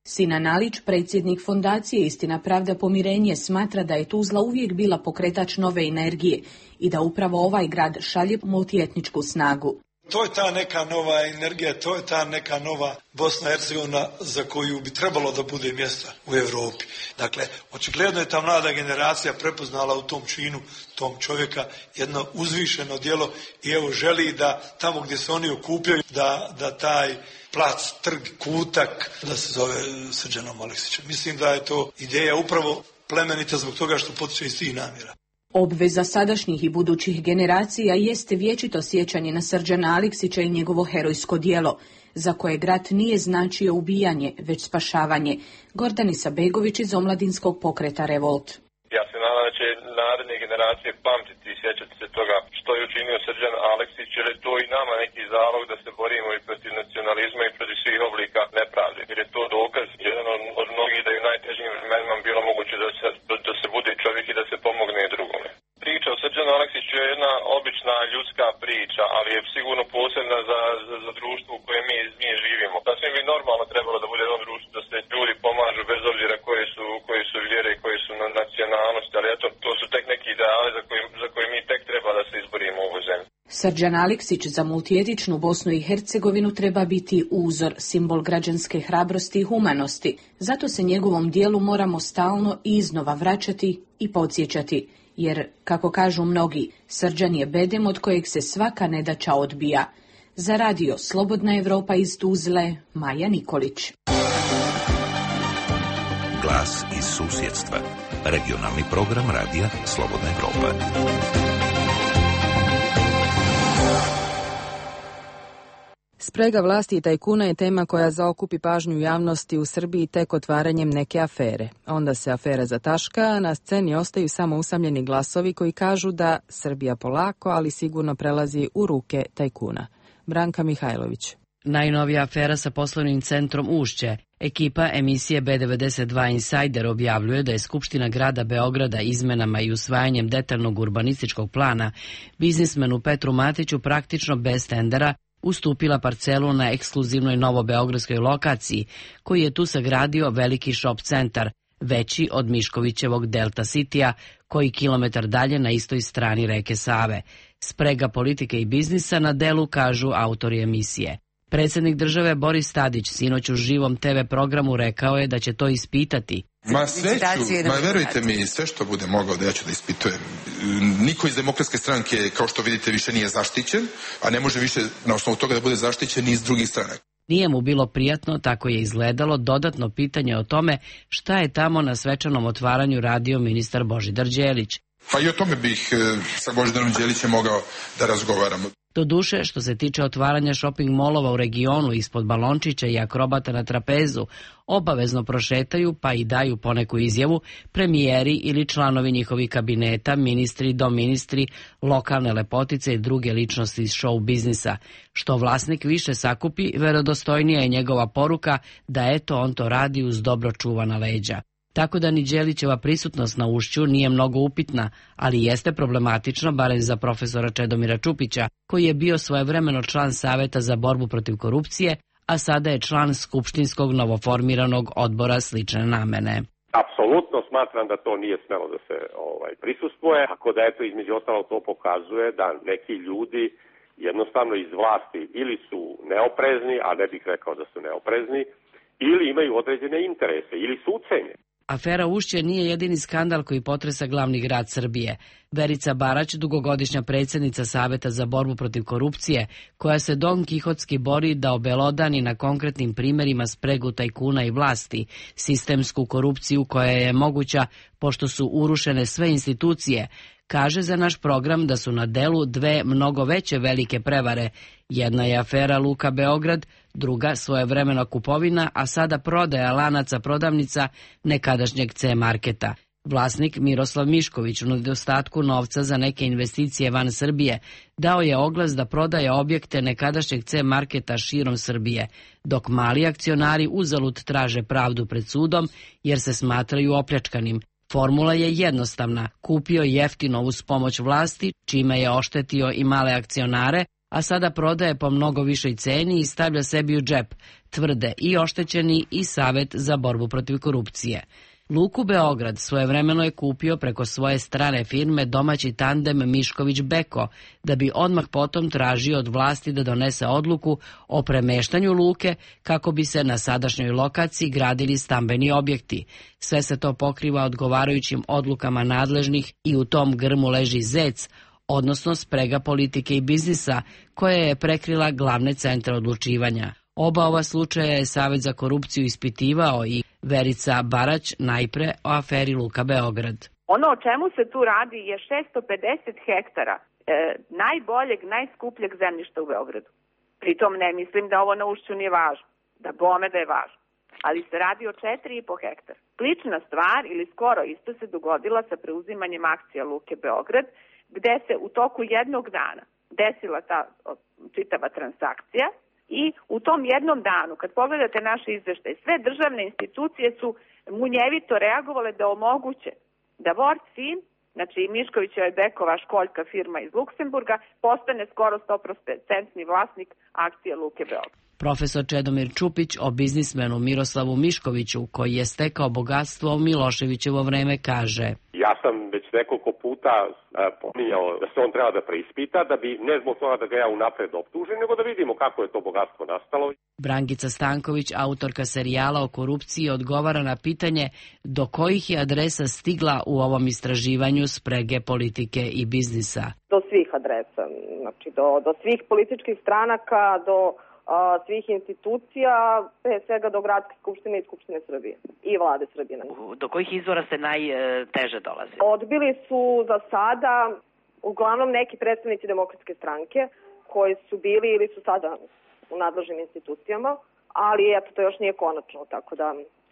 Sinan Alić, predsjednik fondacije Istina, pravda, pomirenje, smatra da je Tuzla uvijek bila pokretač nove energije i da upravo ovaj grad šalje multietničku snagu. To je ta neka nova energija, to je ta neka nova Bosna i Hercegovina za koju bi trebalo da bude mjesta u Europi. Dakle, očigledno je ta mlada generacija prepoznala u tom činu, tom čovjeka, jedno uzvišeno djelo i evo želi da tamo gdje se oni okupljaju, da taj plac, trg, kutak, da se zove Srđanom Aleksićem. Mislim da je to ideja upravo plemenita zbog toga što potiče iz tih namjera. Obveza sadašnjih i budućih generacija jeste vječito sjećanje na Srđana Aleksića i njegovo herojsko djelo, za koje rat nije značio ubijanje, već spašavanje. Gordanica Begović iz omladinskog pokreta Revolt. Ja se nadam da će naredne generacije pamtiti i sjećati se toga što je učinio Srđan Aleksić, jer je to i nama neki zalog da se borimo i protiv nacionalizma i protiv svih oblika nepravde. Jer je to dokaz, jedan od mnogih, da je u najtežim vremenima bilo moguće da se bude čovjek i da se pomogne drugome. Priča o Srđanu Aleksiću je jedna obična ljudska priča, ali je sigurno posebna za društvo u kojem mi živimo. Sasvim bi normalno trebalo da bude jedno društvo, da se ljudi pomažu bez obzira koje su vjere i koje su nacionalnosti, ali eto, to su tek neki ideali za koje mi tek treba da se izborimo u ovoj zemlji. Srđan Aleksić za multietičnu Bosnu i Hercegovinu treba biti uzor, simbol građanske hrabrosti i humanosti. Zato se njegovom dijelu moramo stalno i iznova vraćati i podsjećati. Jer, kako kažu mnogi, Srđan je bedem od kojeg se svaka nedaća odbija. Za radio Slobodna Evropa iz Tuzle, Maja Nikolić. Glas iz susjedstva. Regionalni program radija Slobodna Evropa. Sprega vlasti i tajkuna je tema koja zaokupi pažnju javnosti u Srbiji tek otvaranjem neke afere. Onda se afera zataška, a na sceni ostaju samo usamljeni glasovi koji kažu da Srbija polako, ali sigurno prelazi u ruke tajkuna. Branka Mihajlović. Najnovija afera sa poslovnim centrom Ušće. Ekipa emisije B92 Insider objavljuje da je Skupština grada Beograda izmenama i usvajanjem detaljnog urbanističkog plana biznismenu Petru Matiću praktično bez tendera ustupila parcelu na ekskluzivnoj novobeogradskoj lokaciji, koji je tu sagradio veliki shop centar, veći od Miškovićevog Delta Citya, koji kilometar dalje na istoj strani reke Save. Sprega politike i biznisa na delu, kažu autori emisije. Predsjednik države Boris Tadić sinoć u živom TV programu rekao je da će to ispitati. Verujte mi, sve što bude mogao da ja ću da ispitujem. Niko iz Demokratske stranke, kao što vidite, više nije zaštićen, a ne može više na osnovu toga da bude zaštićen ni iz drugih stranaka. Nije mu bilo prijatno, tako je izgledalo dodatno pitanje o tome šta je tamo na svečanom otvaranju radio ministar Božidar Đelić. Pa i o tome bih sa Božidarom Đelićem mogao da razgovaram. Doduše, što se tiče otvaranja shopping molova u regionu ispod balončića i akrobata na trapezu, obavezno prošetaju pa i daju poneku izjavu premijeri ili članovi njihovih kabineta, ministri, doministri, lokalne lepotice i druge ličnosti iz show biznisa. Što vlasnik više sakupi, verodostojnija je njegova poruka da eto on to radi uz dobro čuvana leđa. Tako da ni Đelićeva prisutnost na Ušću nije mnogo upitna, ali jeste problematično, barem za profesora Čedomira Čupića, koji je bio svojevremeno član Saveta za borbu protiv korupcije, a sada je član skupštinskog novoformiranog odbora slične namene. Apsolutno smatram da to nije smelo da se prisustvuje, tako da eto između ostalo to pokazuje da neki ljudi jednostavno iz vlasti ili su neoprezni, a ne bih rekao da su neoprezni, ili imaju određene interese, ili su ucenjeni. Afera Ušće nije jedini skandal koji potresa glavni grad Srbije. Verica Barać, dugogodišnja predsjednica Saveta za borbu protiv korupcije, koja se Don Kihotski bori da obelodani na konkretnim primjerima spregu tajkuna i vlasti, sistemsku korupciju koja je moguća pošto su urušene sve institucije, kaže za naš program da su na delu dve mnogo veće velike prevare. Jedna je afera Luka Beograd, druga svojevremena kupovina, a sada prodaja lanaca prodavnica nekadašnjeg C-marketa. Vlasnik Miroslav Mišković u nedostatku novca za neke investicije van Srbije dao je oglas da prodaje objekte nekadašnjeg C-marketa širom Srbije, dok mali akcionari uzalud traže pravdu pred sudom jer se smatraju opljačkanim. Formula je jednostavna, kupio jeftino uz pomoć vlasti, čime je oštetio i male akcionare, a sada prodaje po mnogo višoj ceni i stavlja sebi u džep, tvrde i oštećeni i Savet za borbu protiv korupcije. Luku Beograd svojevremeno je kupio preko svoje strane firme domaći tandem Mišković-Beko, da bi odmah potom tražio od vlasti da donese odluku o premeštanju luke kako bi se na sadašnjoj lokaciji gradili stambeni objekti. Sve se to pokriva odgovarajućim odlukama nadležnih i u tom grmu leži zec, odnosno sprega politike i biznisa, koja je prekrila glavne centre odlučivanja. Oba ova slučaja je Savet za korupciju ispitivao i Verica Barać najpre o aferi Luka Beograd. Ono o čemu se tu radi je 650 hektara najboljeg, najskupljeg zemljišta u Beogradu. Pritom ne mislim da ovo na Ušću nije važno, da bome da je važno, ali se radi o 4,5 hektara. Slična stvar ili skoro isto se dogodila sa preuzimanjem akcija Luke Beograd, gde se u toku jednog dana desila ta čitava transakcija. I u tom jednom danu, kad pogledate naše izveštaje, sve državne institucije su munjevito reagovale da omoguće da Vortfin, znači Miškovićeva i Bekova školjka firma iz Luksemburga, postane skoro 100% vlasnik akcije Luke Beograd. Profesor Čedomir Čupić o biznismenu Miroslavu Miškoviću, koji je stekao bogatstvo u Miloševićevo vreme, kaže: Ja sam već nekoliko puta pominjao da se on treba da preispita, da bi ne zbog toga da ga ja unapred optužim, nego da vidimo kako je to bogatstvo nastalo. Brankica Stanković, autorka serijala o korupciji, odgovara na pitanje do kojih je adresa stigla u ovom istraživanju sprege politike i biznisa. Do svih adresa, znači do svih političkih stranaka, do svih institucija, pre svega do Gradske skupštine i Skupštine Srbije i Vlade Srbije. Do kojih izvora se najteže dolazi? Odbili su za sada uglavnom neki predstavnici Demokratske stranke koji su bili ili su sada u nadležnim institucijama, ali eto, to još nije konačno, tako da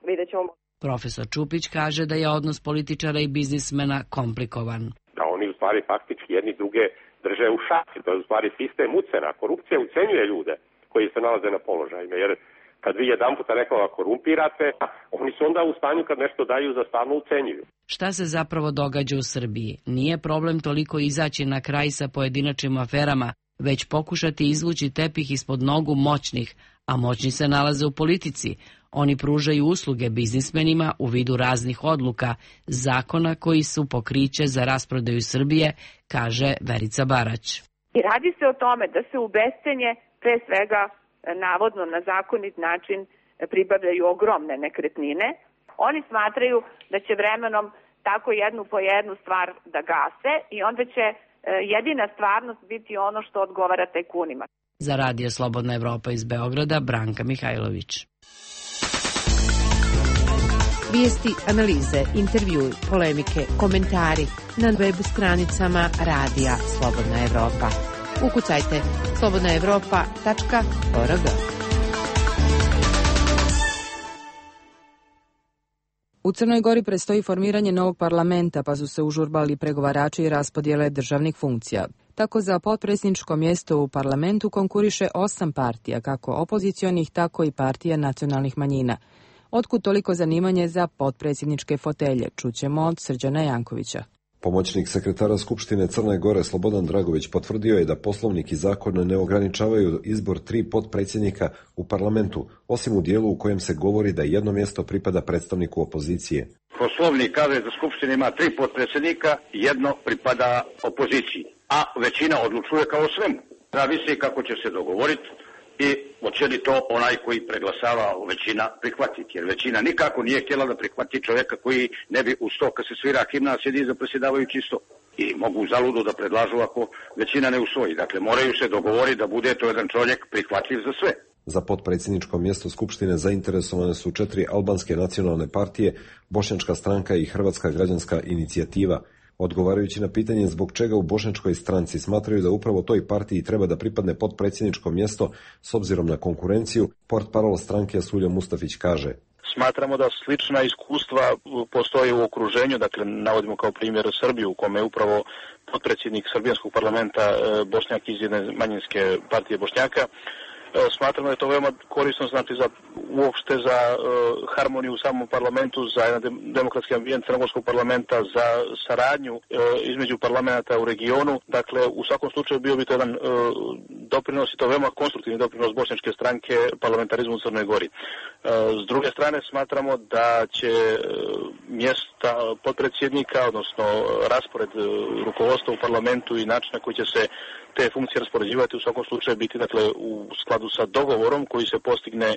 vidjet ćemo. Profesor Čupić kaže da je odnos političara i biznismena komplikovan. Da oni u stvari faktički jedni druge drže u šaci, to je u stvari sistem ucena. Korupcija ucenjuje ljude koji se nalaze na položajima, jer kad vi jedan puta nekoga korumpirate, oni su onda u stanju kad nešto daju za stalno ucenjuju. Šta se zapravo događa u Srbiji? Nije problem toliko izaći na kraj sa pojedinačnim aferama, već pokušati izvući tepih ispod nogu moćnih, a moćni se nalaze u politici. Oni pružaju usluge biznismenima u vidu raznih odluka, zakona koji su pokriće za rasprodaju Srbije, kaže Verica Barać. I radi se o tome da se u bescenje pre svega navodno na zakonit način pribavljaju ogromne nekretnine. Oni smatraju da će vremenom tako jednu po jednu stvar da gase i onda će jedina stvarnost biti ono što odgovara tajkunima. Za Radio Slobodna Evropa iz Beograda, Branka Mihajlović. Vijesti, analize, intervjui, polemike, komentari na web stranicama Radija Slobodna Evropa. Ukucajte slobodnaevropa.org. U Crnoj Gori predstoji formiranje novog parlamenta, pa su se užurbali pregovarači i raspodjele državnih funkcija. Tako za potpredsjedničko mjesto u parlamentu konkuriše 8 partija, kako opozicionih, tako i partija nacionalnih manjina. Otkud toliko zanimanje za potpredsjedničke fotelje? Čućemo od Srđana Jankovića. Pomoćnik sekretara Skupštine Crne Gore Slobodan Dragović potvrdio je da poslovnik i zakon ne ograničavaju izbor 3 potpredsjednika u parlamentu, osim u dijelu u kojem se govori da jedno mjesto pripada predstavniku opozicije. Poslovnik kaže da Skupština ima 3 potpredsjednika, jedno pripada opoziciji, a većina odlučuje kao o svemu. Zavisi kako će se dogovoriti i hoće li to onaj koji preglasava većina prihvatiti, jer većina nikako nije htjela da prihvati čovjeka koji ne bi uz to kad se svira himna sjedi za predsjedavajući sto. I mogu zaludu da predlažu ako većina ne usvoji. Dakle, moraju se dogovoriti da bude to jedan čovjek prihvatljiv za sve. Za potpredsjedničko mjesto Skupštine zainteresovane su 4 albanske nacionalne partije, Bošnjačka stranka i Hrvatska građanska inicijativa. Odgovarajući na pitanje zbog čega u Bošnjačkoj stranci smatraju da upravo toj partiji treba da pripadne potpredsjedničko mjesto s obzirom na konkurenciju, portparol stranke Asulja Mustafić kaže: Smatramo da slična iskustva postoje u okruženju, dakle navodimo kao primjer Srbiju u kome je upravo potpredsjednik srbijanskog parlamenta Bošnjak iz jedne manjinske partije Bošnjaka. Smatramo da je to veoma korisno, znači uopšte za harmoniju u samom parlamentu, za jedan demokratski ambijent crnogorskog parlamenta, za saradnju između parlamenta u regionu. Dakle, u svakom slučaju bio bi to jedan doprinos i to veoma konstruktivni doprinos Bošnjačke stranke parlamentarizmu u Crnoj Gori. S druge strane, smatramo da će mjesta potpredsjednika, odnosno raspored rukovodstva u parlamentu i način na koji će se te funkcije raspoređivati u svakom slučaju biti u skladu sa dogovorom koji se postigne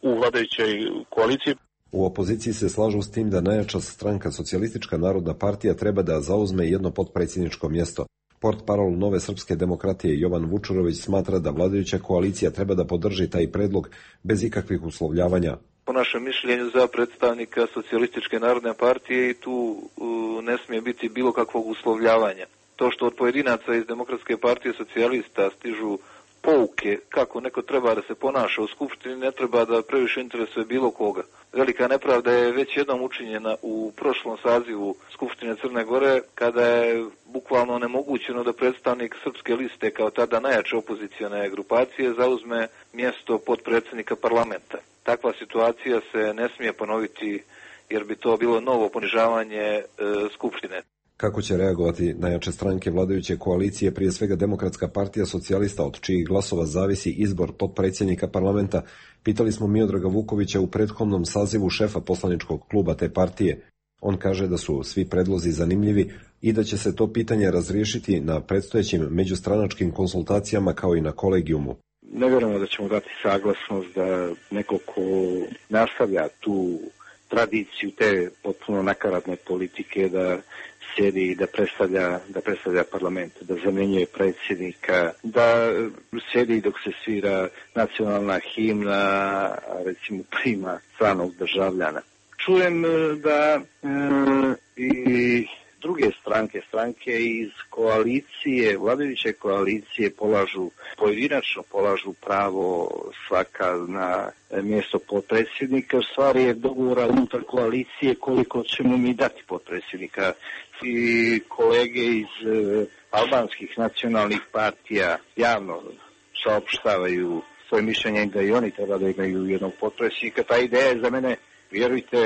u vladajućoj koaliciji. U opoziciji se slažu s tim da najjača stranka Socijalistička narodna partija treba da zauzme jedno potpredsjedničko mjesto. Portparol Nove srpske demokratije Jovan Vučurović smatra da vladajuća koalicija treba da podrži taj predlog bez ikakvih uslovljavanja. Po našem mišljenju za predstavnika Socijalističke narodne partije i tu ne smije biti bilo kakvog uslovljavanja. To što od pojedinaca iz Demokratske partije socijalista stižu pouke kako neko treba da se ponaša u Skupštini, ne treba da previše interesuje bilo koga. Velika nepravda je već jednom učinjena u prošlom sazivu Skupštine Crne Gore, kada je bukvalno onemogućeno da predstavnik Srpske liste, kao tada najjače opozicione grupacije, zauzme mjesto potpredsjednika parlamenta. Takva situacija se ne smije ponoviti, jer bi to bilo novo ponižavanje Skupštine. Kako će reagovati najjače stranke vladajuće koalicije, prije svega Demokratska partija socijalista, od čijih glasova zavisi izbor potpredsjednika parlamenta, pitali smo Miodraga Vukovića u prethodnom sazivu, šefa poslaničkog kluba te partije. On kaže da su svi predlozi zanimljivi i da će se to pitanje razriješiti na predstojećim međustranačkim konsultacijama kao i na kolegijumu. Ne vjerujemo da ćemo dati saglasnost da neko ko nastavlja tu tradiciju te potpuno nakaradne politike, da sjedi i da predstavlja parlament, da zamjenjuje predsjednika, da sjedi dok se svira nacionalna himna, recimo prima stranog državljana. Čujem da i druge stranke iz koalicije, vladajuće koalicije pojedinačno polažu pravo svaka na mjesto potpredsjednika. Stvar je dogovora unutar koalicije koliko ćemo mi dati potpredsjednika. I kolege iz albanskih nacionalnih partija javno saopštavaju svoje mišljenje da i oni treba da imaju jednog potpredsjednika. Ta ideja je za mene, vjerujte,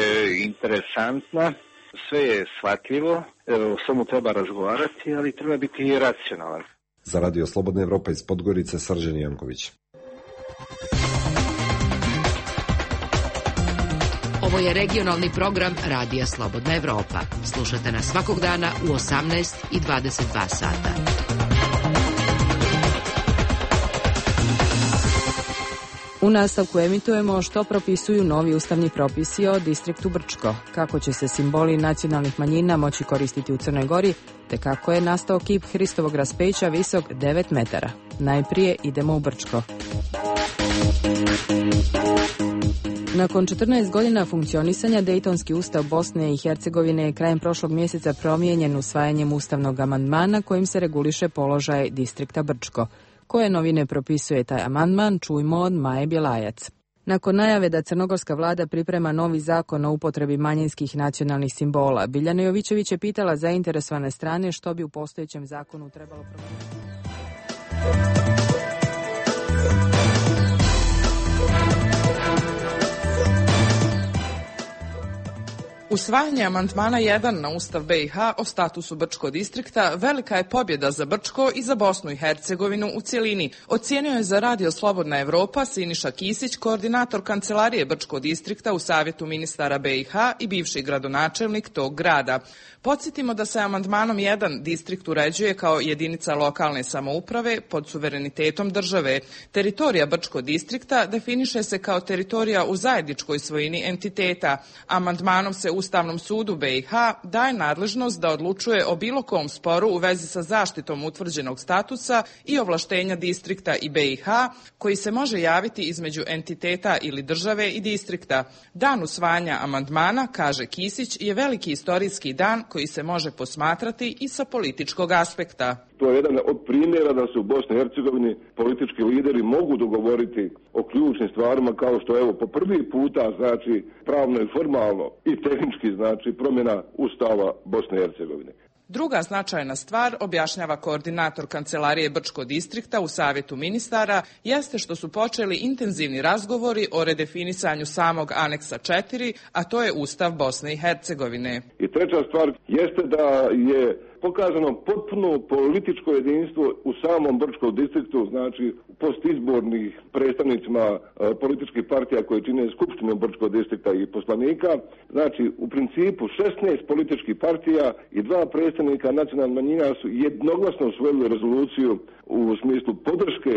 interesantna. Sve je shvatljivo, o svemu treba razgovarati, ali treba biti i racionalan. Za Radio Slobodna Evropa iz Podgorice, Srđan Janković. Ovo je regionalni program Radija Slobodna Evropa. Slušajte nas svakog dana u 18 i 22 sata. U nastavku emitujemo što propisuju novi ustavni propisi o distriktu Brčko, kako će se simboli nacionalnih manjina moći koristiti u Crnoj Gori, te kako je nastao kip Hristovog raspeća visok 9 metara. Najprije idemo u Brčko. Nakon 14 godina funkcionisanja, Dejtonski ustav Bosne i Hercegovine je krajem prošlog mjeseca promijenjen usvajanjem ustavnog amandmana kojim se reguliše položaj distrikta Brčko. Koje novine propisuje taj amandman, čujmo od Maje Bjelajac. Nakon najave da crnogorska vlada priprema novi zakon o upotrebi manjinskih nacionalnih simbola, Biljana Jovićević je pitala zainteresovane strane što bi u postojećem zakonu trebalo promijeniti. Usvajanje amandmana 1 na Ustav BiH o statusu Brčko distrikta velika je pobjeda za Brčko i za Bosnu i Hercegovinu u cjelini, ocijenio je za Radio Slobodna Evropa Siniša Kisić, koordinator Kancelarije Brčko distrikta u Savjetu ministara BiH i bivši gradonačelnik tog grada. Podsjetimo da se amandmanom 1 distrikt uređuje kao jedinica lokalne samouprave pod suverenitetom države. Teritorija Brčko distrikta definiše se kao teritorija u zajedničkoj svojini entiteta. Amandmanom se Ustavnom sudu BiH daje nadležnost da odlučuje o bilo kom sporu u vezi sa zaštitom utvrđenog statusa i ovlaštenja distrikta i BiH koji se može javiti između entiteta ili države i distrikta. Dan usvajanja amandmana, kaže Kisić, je veliki istorijski dan koji se može posmatrati i sa političkog aspekta. To je jedan od primjera da se u Bosni i Hercegovini politički lideri mogu dogovoriti o ključnim stvarima kao što evo po prvi puta znači pravno i formalno i tehnički znači promjena Ustava Bosne i Hercegovine. Druga značajna stvar, objašnjava koordinator Kancelarije Brčko distrikta u Savjetu ministara, jeste što su počeli intenzivni razgovori o redefinisanju samog aneksa 4, a to je Ustav Bosne i Hercegovine. I treća stvar jeste da je pokazano potpuno političko jedinstvo u samom Brčkom distriktu, znači postizbornih predstavnicima političkih partija koje čine Skupštinu Brčkog distrikta i poslanika. Znači, u principu 16 političkih partija i 2 predstavnika nacionalnih manjina su jednoglasno usvojili rezoluciju u smislu podrške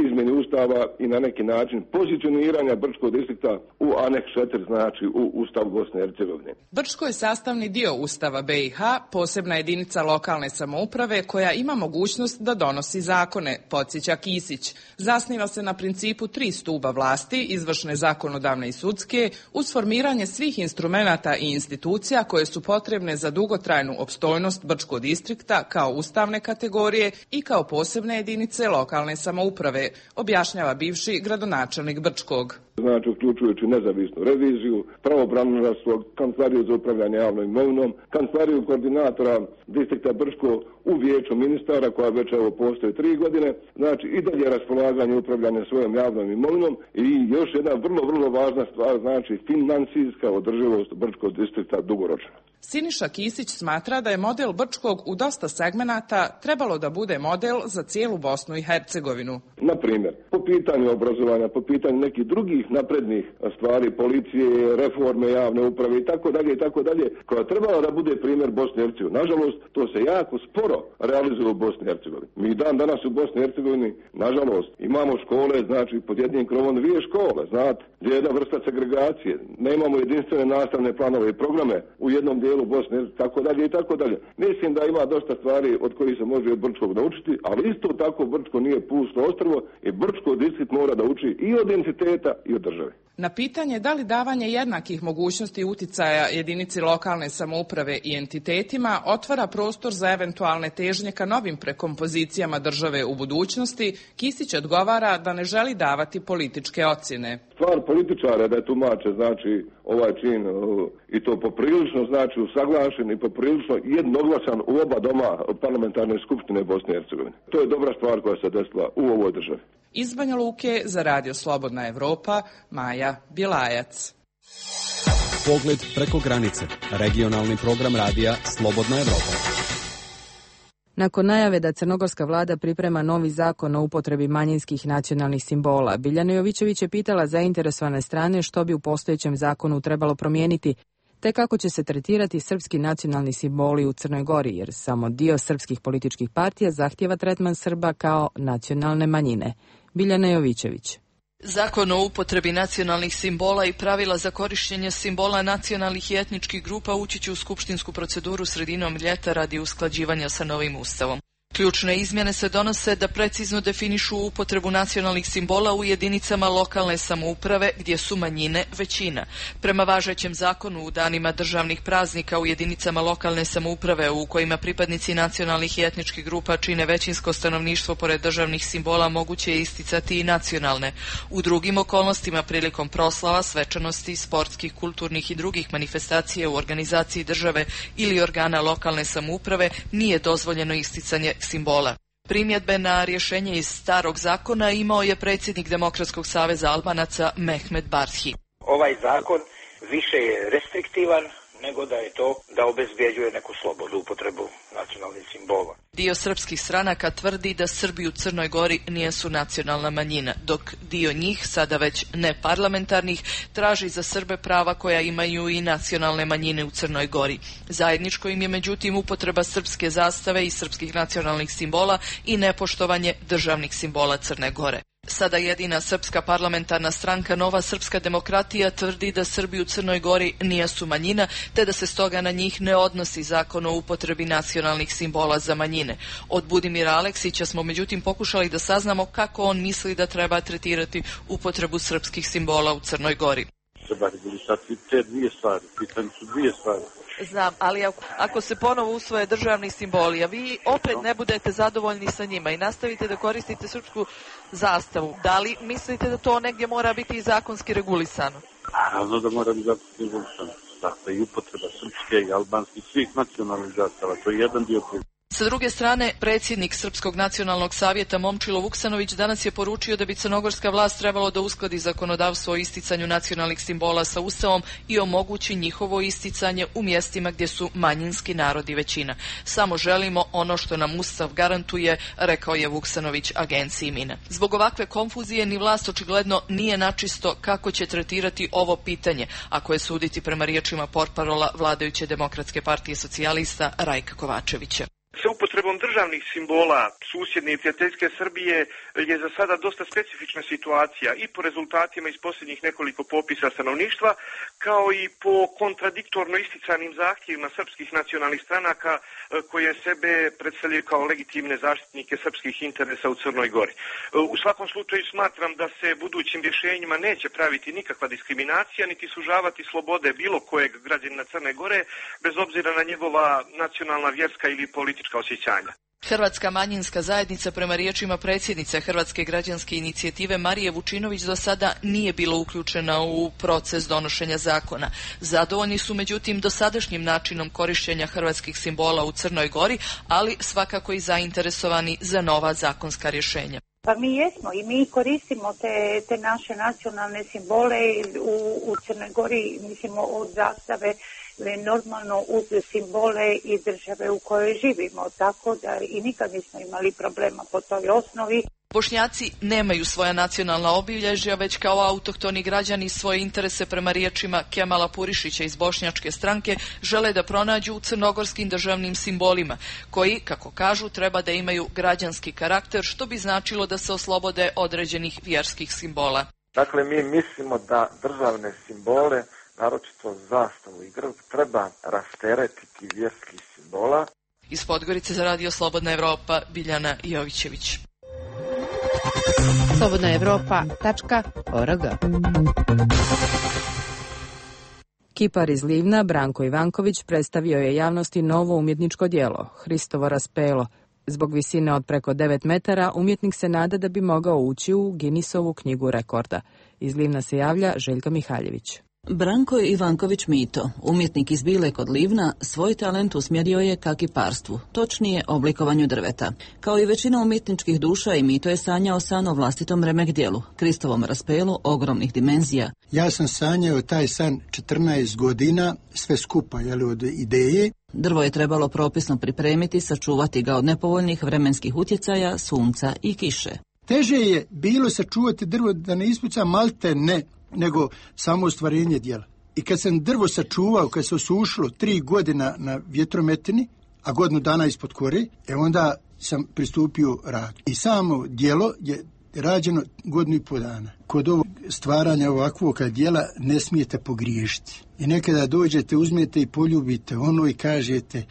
izmjeni Ustava i na neki način pozicioniranja Brčkog distrikta u aneks 4, znači u Ustav Bosne i Hercegovine. Brčko je sastavni dio Ustava BiH, posebna jedinica lokalne samouprave koja ima mogućnost da donosi zakone, podsjeća Kisić. Zasniva se na principu 3 stuba vlasti, izvršne, zakonodavne i sudske, uz formiranje svih instrumenata i institucija koje su potrebne za dugotrajnu opstojnost Brčkog distrikta kao ustavne kategorije i kao posebne jedinice lokalne samouprave, objašnjava bivši gradonačelnik Brčkog. Znači, uključujući nezavisnu reviziju, pravobranilaštvo, kancelariju za upravljanje javnom imovinom, kancelariju koordinatora distrikta Brčko u vijeću ministara koja već evo postoji 3 godine, znači i dalje raspolaganje i upravljanje svojom javnom imovinom i još jedna vrlo važna stvar, znači financijska održivost Brčkog distrikta dugoročno. Siniša Kisić smatra da je model Brčkog u dosta segmenata trebalo da bude model za cijelu Bosnu i Hercegovinu. Na primjer, po pitanju obrazovanja, po pitanju nekih drugih naprednih stvari, policije, reforme javne uprave i tako dalje, koja trebala da bude primjer Bosne i Hercegovine. Nažalost, to se jako sporo realizuje u Bosni i Hercegovini. Mi danas u Bosni i Hercegovini, nažalost, imamo škole, znači pod jednim krovom 2 škole, znate, gdje je jedna vrsta segregacije. Nemamo jedinstvene nastavne planove i programe u jednom dijelu Bosne i tako dalje. Mislim da ima dosta stvari od kojih se može od Brčkog naučiti, ali isto tako Brčko nije pusto ostrvo i Brčko distrikt mora da uči i od entiteta i od države. Na pitanje da li davanje jednakih mogućnosti uticaja jedinici lokalne samouprave i entitetima otvara prostor za eventualne težnje ka novim prekompozicijama države u budućnosti, Kisić odgovara da ne želi davati političke ocjene. Stvar političara da je tumače, znači ovaj čin i to poprilično znači usaglašen i poprilično jednoglasan u oba doma parlamentarne skupštine Bosne i Hercegovine. To je dobra stvar koja se desila u ovoj državi. Iz Banja Luke za Radio Slobodna Evropa, Maja Bjelajac. Pogled preko granice. Regionalni program radija Slobodna Evropa. Nakon najave da crnogorska vlada priprema novi zakon o upotrebi manjinskih nacionalnih simbola, Biljana Jovićević je pitala zainteresovane strane što bi u postojećem zakonu trebalo promijeniti, te kako će se tretirati srpski nacionalni simboli u Crnoj Gori, jer samo dio srpskih političkih partija zahtijeva tretman Srba kao nacionalne manjine. Biljana Jovićević. Zakon o upotrebi nacionalnih simbola i pravila za korištenje simbola nacionalnih i etničkih grupa ući će u skupštinsku proceduru sredinom ljeta radi usklađivanja sa novim ustavom. Ključne izmjene se donose da precizno definišu upotrebu nacionalnih simbola u jedinicama lokalne samouprave gdje su manjine većina. Prema važećem zakonu u danima državnih praznika u jedinicama lokalne samouprave u kojima pripadnici nacionalnih i etničkih grupa čine većinsko stanovništvo pored državnih simbola moguće je isticati i nacionalne. U drugim okolnostima prilikom proslava, svečanosti, sportskih, kulturnih i drugih manifestacija u organizaciji države ili organa lokalne samouprave nije dozvoljeno isticanje simbola. Primjedbe na rješenje iz starog zakona imao je predsjednik Demokratskog saveza Albanaca Mehmet Barhi. Ovaj zakon više je restriktivan nego da je to da obezbjeđuje neku slobodu upotrebu nacionalnih simbola. Dio srpskih stranaka tvrdi da Srbi u Crnoj Gori nisu nacionalna manjina, dok dio njih, sada već neparlamentarnih, traži za Srbe prava koja imaju i nacionalne manjine u Crnoj Gori. Zajedničko im je međutim upotreba srpske zastave i srpskih nacionalnih simbola i nepoštovanje državnih simbola Crne Gore. Sada jedina srpska parlamentarna stranka Nova srpska demokratija tvrdi da Srbi u Crnoj Gori nisu manjina, te da se stoga na njih ne odnosi zakon o upotrebi nacionalnih simbola za manjine. Od Budimira Aleksića smo međutim pokušali da saznamo kako on misli da treba tretirati upotrebu srpskih simbola u Crnoj Gori. Treba regulisati te dvije stvari, pitanje su dvije stvari. Znam, ali ako se ponovo usvoje državni simboli, a vi opet ne budete zadovoljni sa njima i nastavite da koristite srpsku zastavu, da li mislite da to negdje mora biti i zakonski regulisano? Naravno da mora biti zakonski regulisano. Dakle, i upotreba srpske i albanskih svih nacionalnih zastava, to je jedan dio problema. Sa druge strane, predsjednik Srpskog nacionalnog savjeta Momčilo Vuksanović danas je poručio da bi crnogorska vlast trebalo da uskladi zakonodavstvo o isticanju nacionalnih simbola sa Ustavom i omogući njihovo isticanje u mjestima gdje su manjinski narodi većina. Samo želimo ono što nam Ustav garantuje, rekao je Vuksanović agenciji MINA. Zbog ovakve konfuzije ni vlast očigledno nije načisto kako će tretirati ovo pitanje, ako je suditi prema riječima portparola vladajuće Demokratske partije socijalista Rajka Kovačevića. Sa upotrebom državnih simbola susjedne i prijateljske Srbije je za sada dosta specifična situacija i po rezultatima iz posljednjih nekoliko popisa stanovništva, kao i po kontradiktorno isticanim zahtjevima srpskih nacionalnih stranaka koje sebe predstavljaju kao legitimne zaštitnike srpskih interesa u Crnoj Gori. U svakom slučaju smatram da se budućim rješenjima neće praviti nikakva diskriminacija, niti sužavati slobode bilo kojeg građanina Crne Gore, bez obzira na njegova nacionalna, vjerska ili politička osjećanja. Hrvatska manjinska zajednica prema riječima predsjednice Hrvatske građanske inicijative Marije Vučinović do sada nije bila uključena u proces donošenja zakona. Zadovoljni su međutim dosadašnjim načinom korištenja hrvatskih simbola u Crnoj Gori, ali svakako i zainteresovani za nova zakonska rješenja. Pa mi jesmo i mi koristimo te naše nacionalne simbole u Crnoj Gori, mislimo od zastave normalno uz simbole i države u kojoj živimo, tako da i nikad nismo imali problema po toj osnovi. Bošnjaci nemaju svoja nacionalna obilježja, već kao autohtoni građani svoje interese prema riječima Kemala Purišića iz Bošnjačke stranke žele da pronađu u crnogorskim državnim simbolima, koji, kako kažu, treba da imaju građanski karakter, što bi značilo da se oslobode određenih vjerskih simbola. Dakle, mi mislimo da državne simbole, naročito zastavu i grb, treba rasteretiti vjerskih simbola. Iz Podgorice za Radio Slobodna Evropa, Biljana Jovićević. slobodnaevropa.org. Kipar iz Livna, Branko Ivanković, predstavio je javnosti novo umjetničko djelo, Hristovo raspelo. Zbog visine od preko 9 metara, umjetnik se nada da bi mogao ući u Guinnessovu knjigu rekorda. Iz Livna se javlja Željka Mihaljević. Branko Ivanković Mito, umjetnik iz Bile kod Livna, svoj talent usmjerio je ka kiparstvu, točnije oblikovanju drveta. Kao i većina umjetničkih duša, i Mito je sanjao san o vlastitom remek djelu, Kristovom raspelu ogromnih dimenzija. Ja sam sanjao taj san 14 godina, sve skupa, od ideje. Drvo je trebalo propisno pripremiti, sačuvati ga od nepovoljnih vremenskih utjecaja, sunca i kiše. Teže je bilo sačuvati drvo da ne ispuca malte ne, nego samo ostvarenje djela. I kad sam drvo sačuvao, kad se osušilo 3 godina na vjetrometini, a godinu dana ispod kore, onda sam pristupio radu. I samo djelo je rađeno 1,5 godinu dana. Kod ovog stvaranja ovakvog djela ne smijete pogriješiti. I nekada dođete, uzmete i poljubite ono i kažete,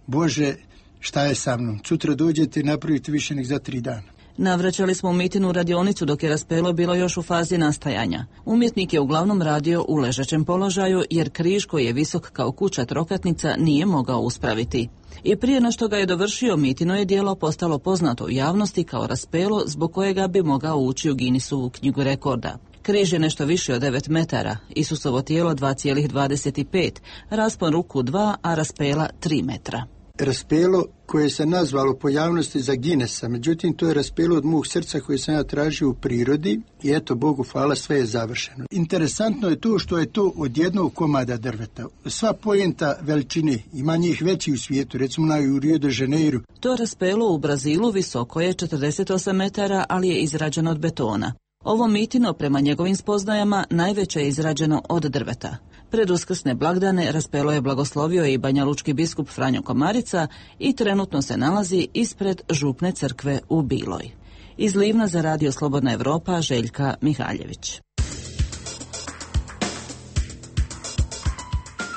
Bože, šta je sa mnom? Sutra dođete i napravite više nek za 3 dana. Navraćali smo Mitinu radionicu dok je raspelo bilo još u fazi nastajanja. Umjetnik je uglavnom radio u ležećem položaju jer križ koji je visok kao kuća trokatnica nije mogao uspraviti. I prije no što ga je dovršio, Mitino je djelo postalo poznato u javnosti kao raspelo zbog kojega bi mogao ući u Guinnessovu knjigu rekorda. Križ je nešto više od 9 metara, Isusovo tijelo 2,25, raspon ruku 2, a raspela 3 metra. Raspelo koje se nazvalo po javnosti za Guinnessa, međutim to je raspelo od mog srca koje sam ja tražio u prirodi i eto, Bogu hvala, sve je završeno. Interesantno je to što je to od jednog komada drveta. Sva poenta veličine, ima njih veći u svijetu, recimo u Rio de Janeiro. To raspelo u Brazilu visoko je 48 metara, ali je izrađeno od betona. Ovo Mitino, prema njegovim spoznajama, najveće je izrađeno od drveta. Pred uskrsne blagdane raspelo je blagoslovio i banjalučki biskup Franjo Komarica i trenutno se nalazi ispred župne crkve u Biloj. Iz Livna za Radio Slobodna Evropa, Željka Mihaljević.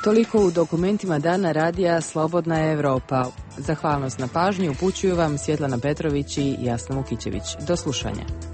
Toliko u dokumentima dana radija Slobodna Evropa. Zahvalnost na pažnji upućuju vam Svjetlana Petrović i Jasna Mukićević. Do slušanja.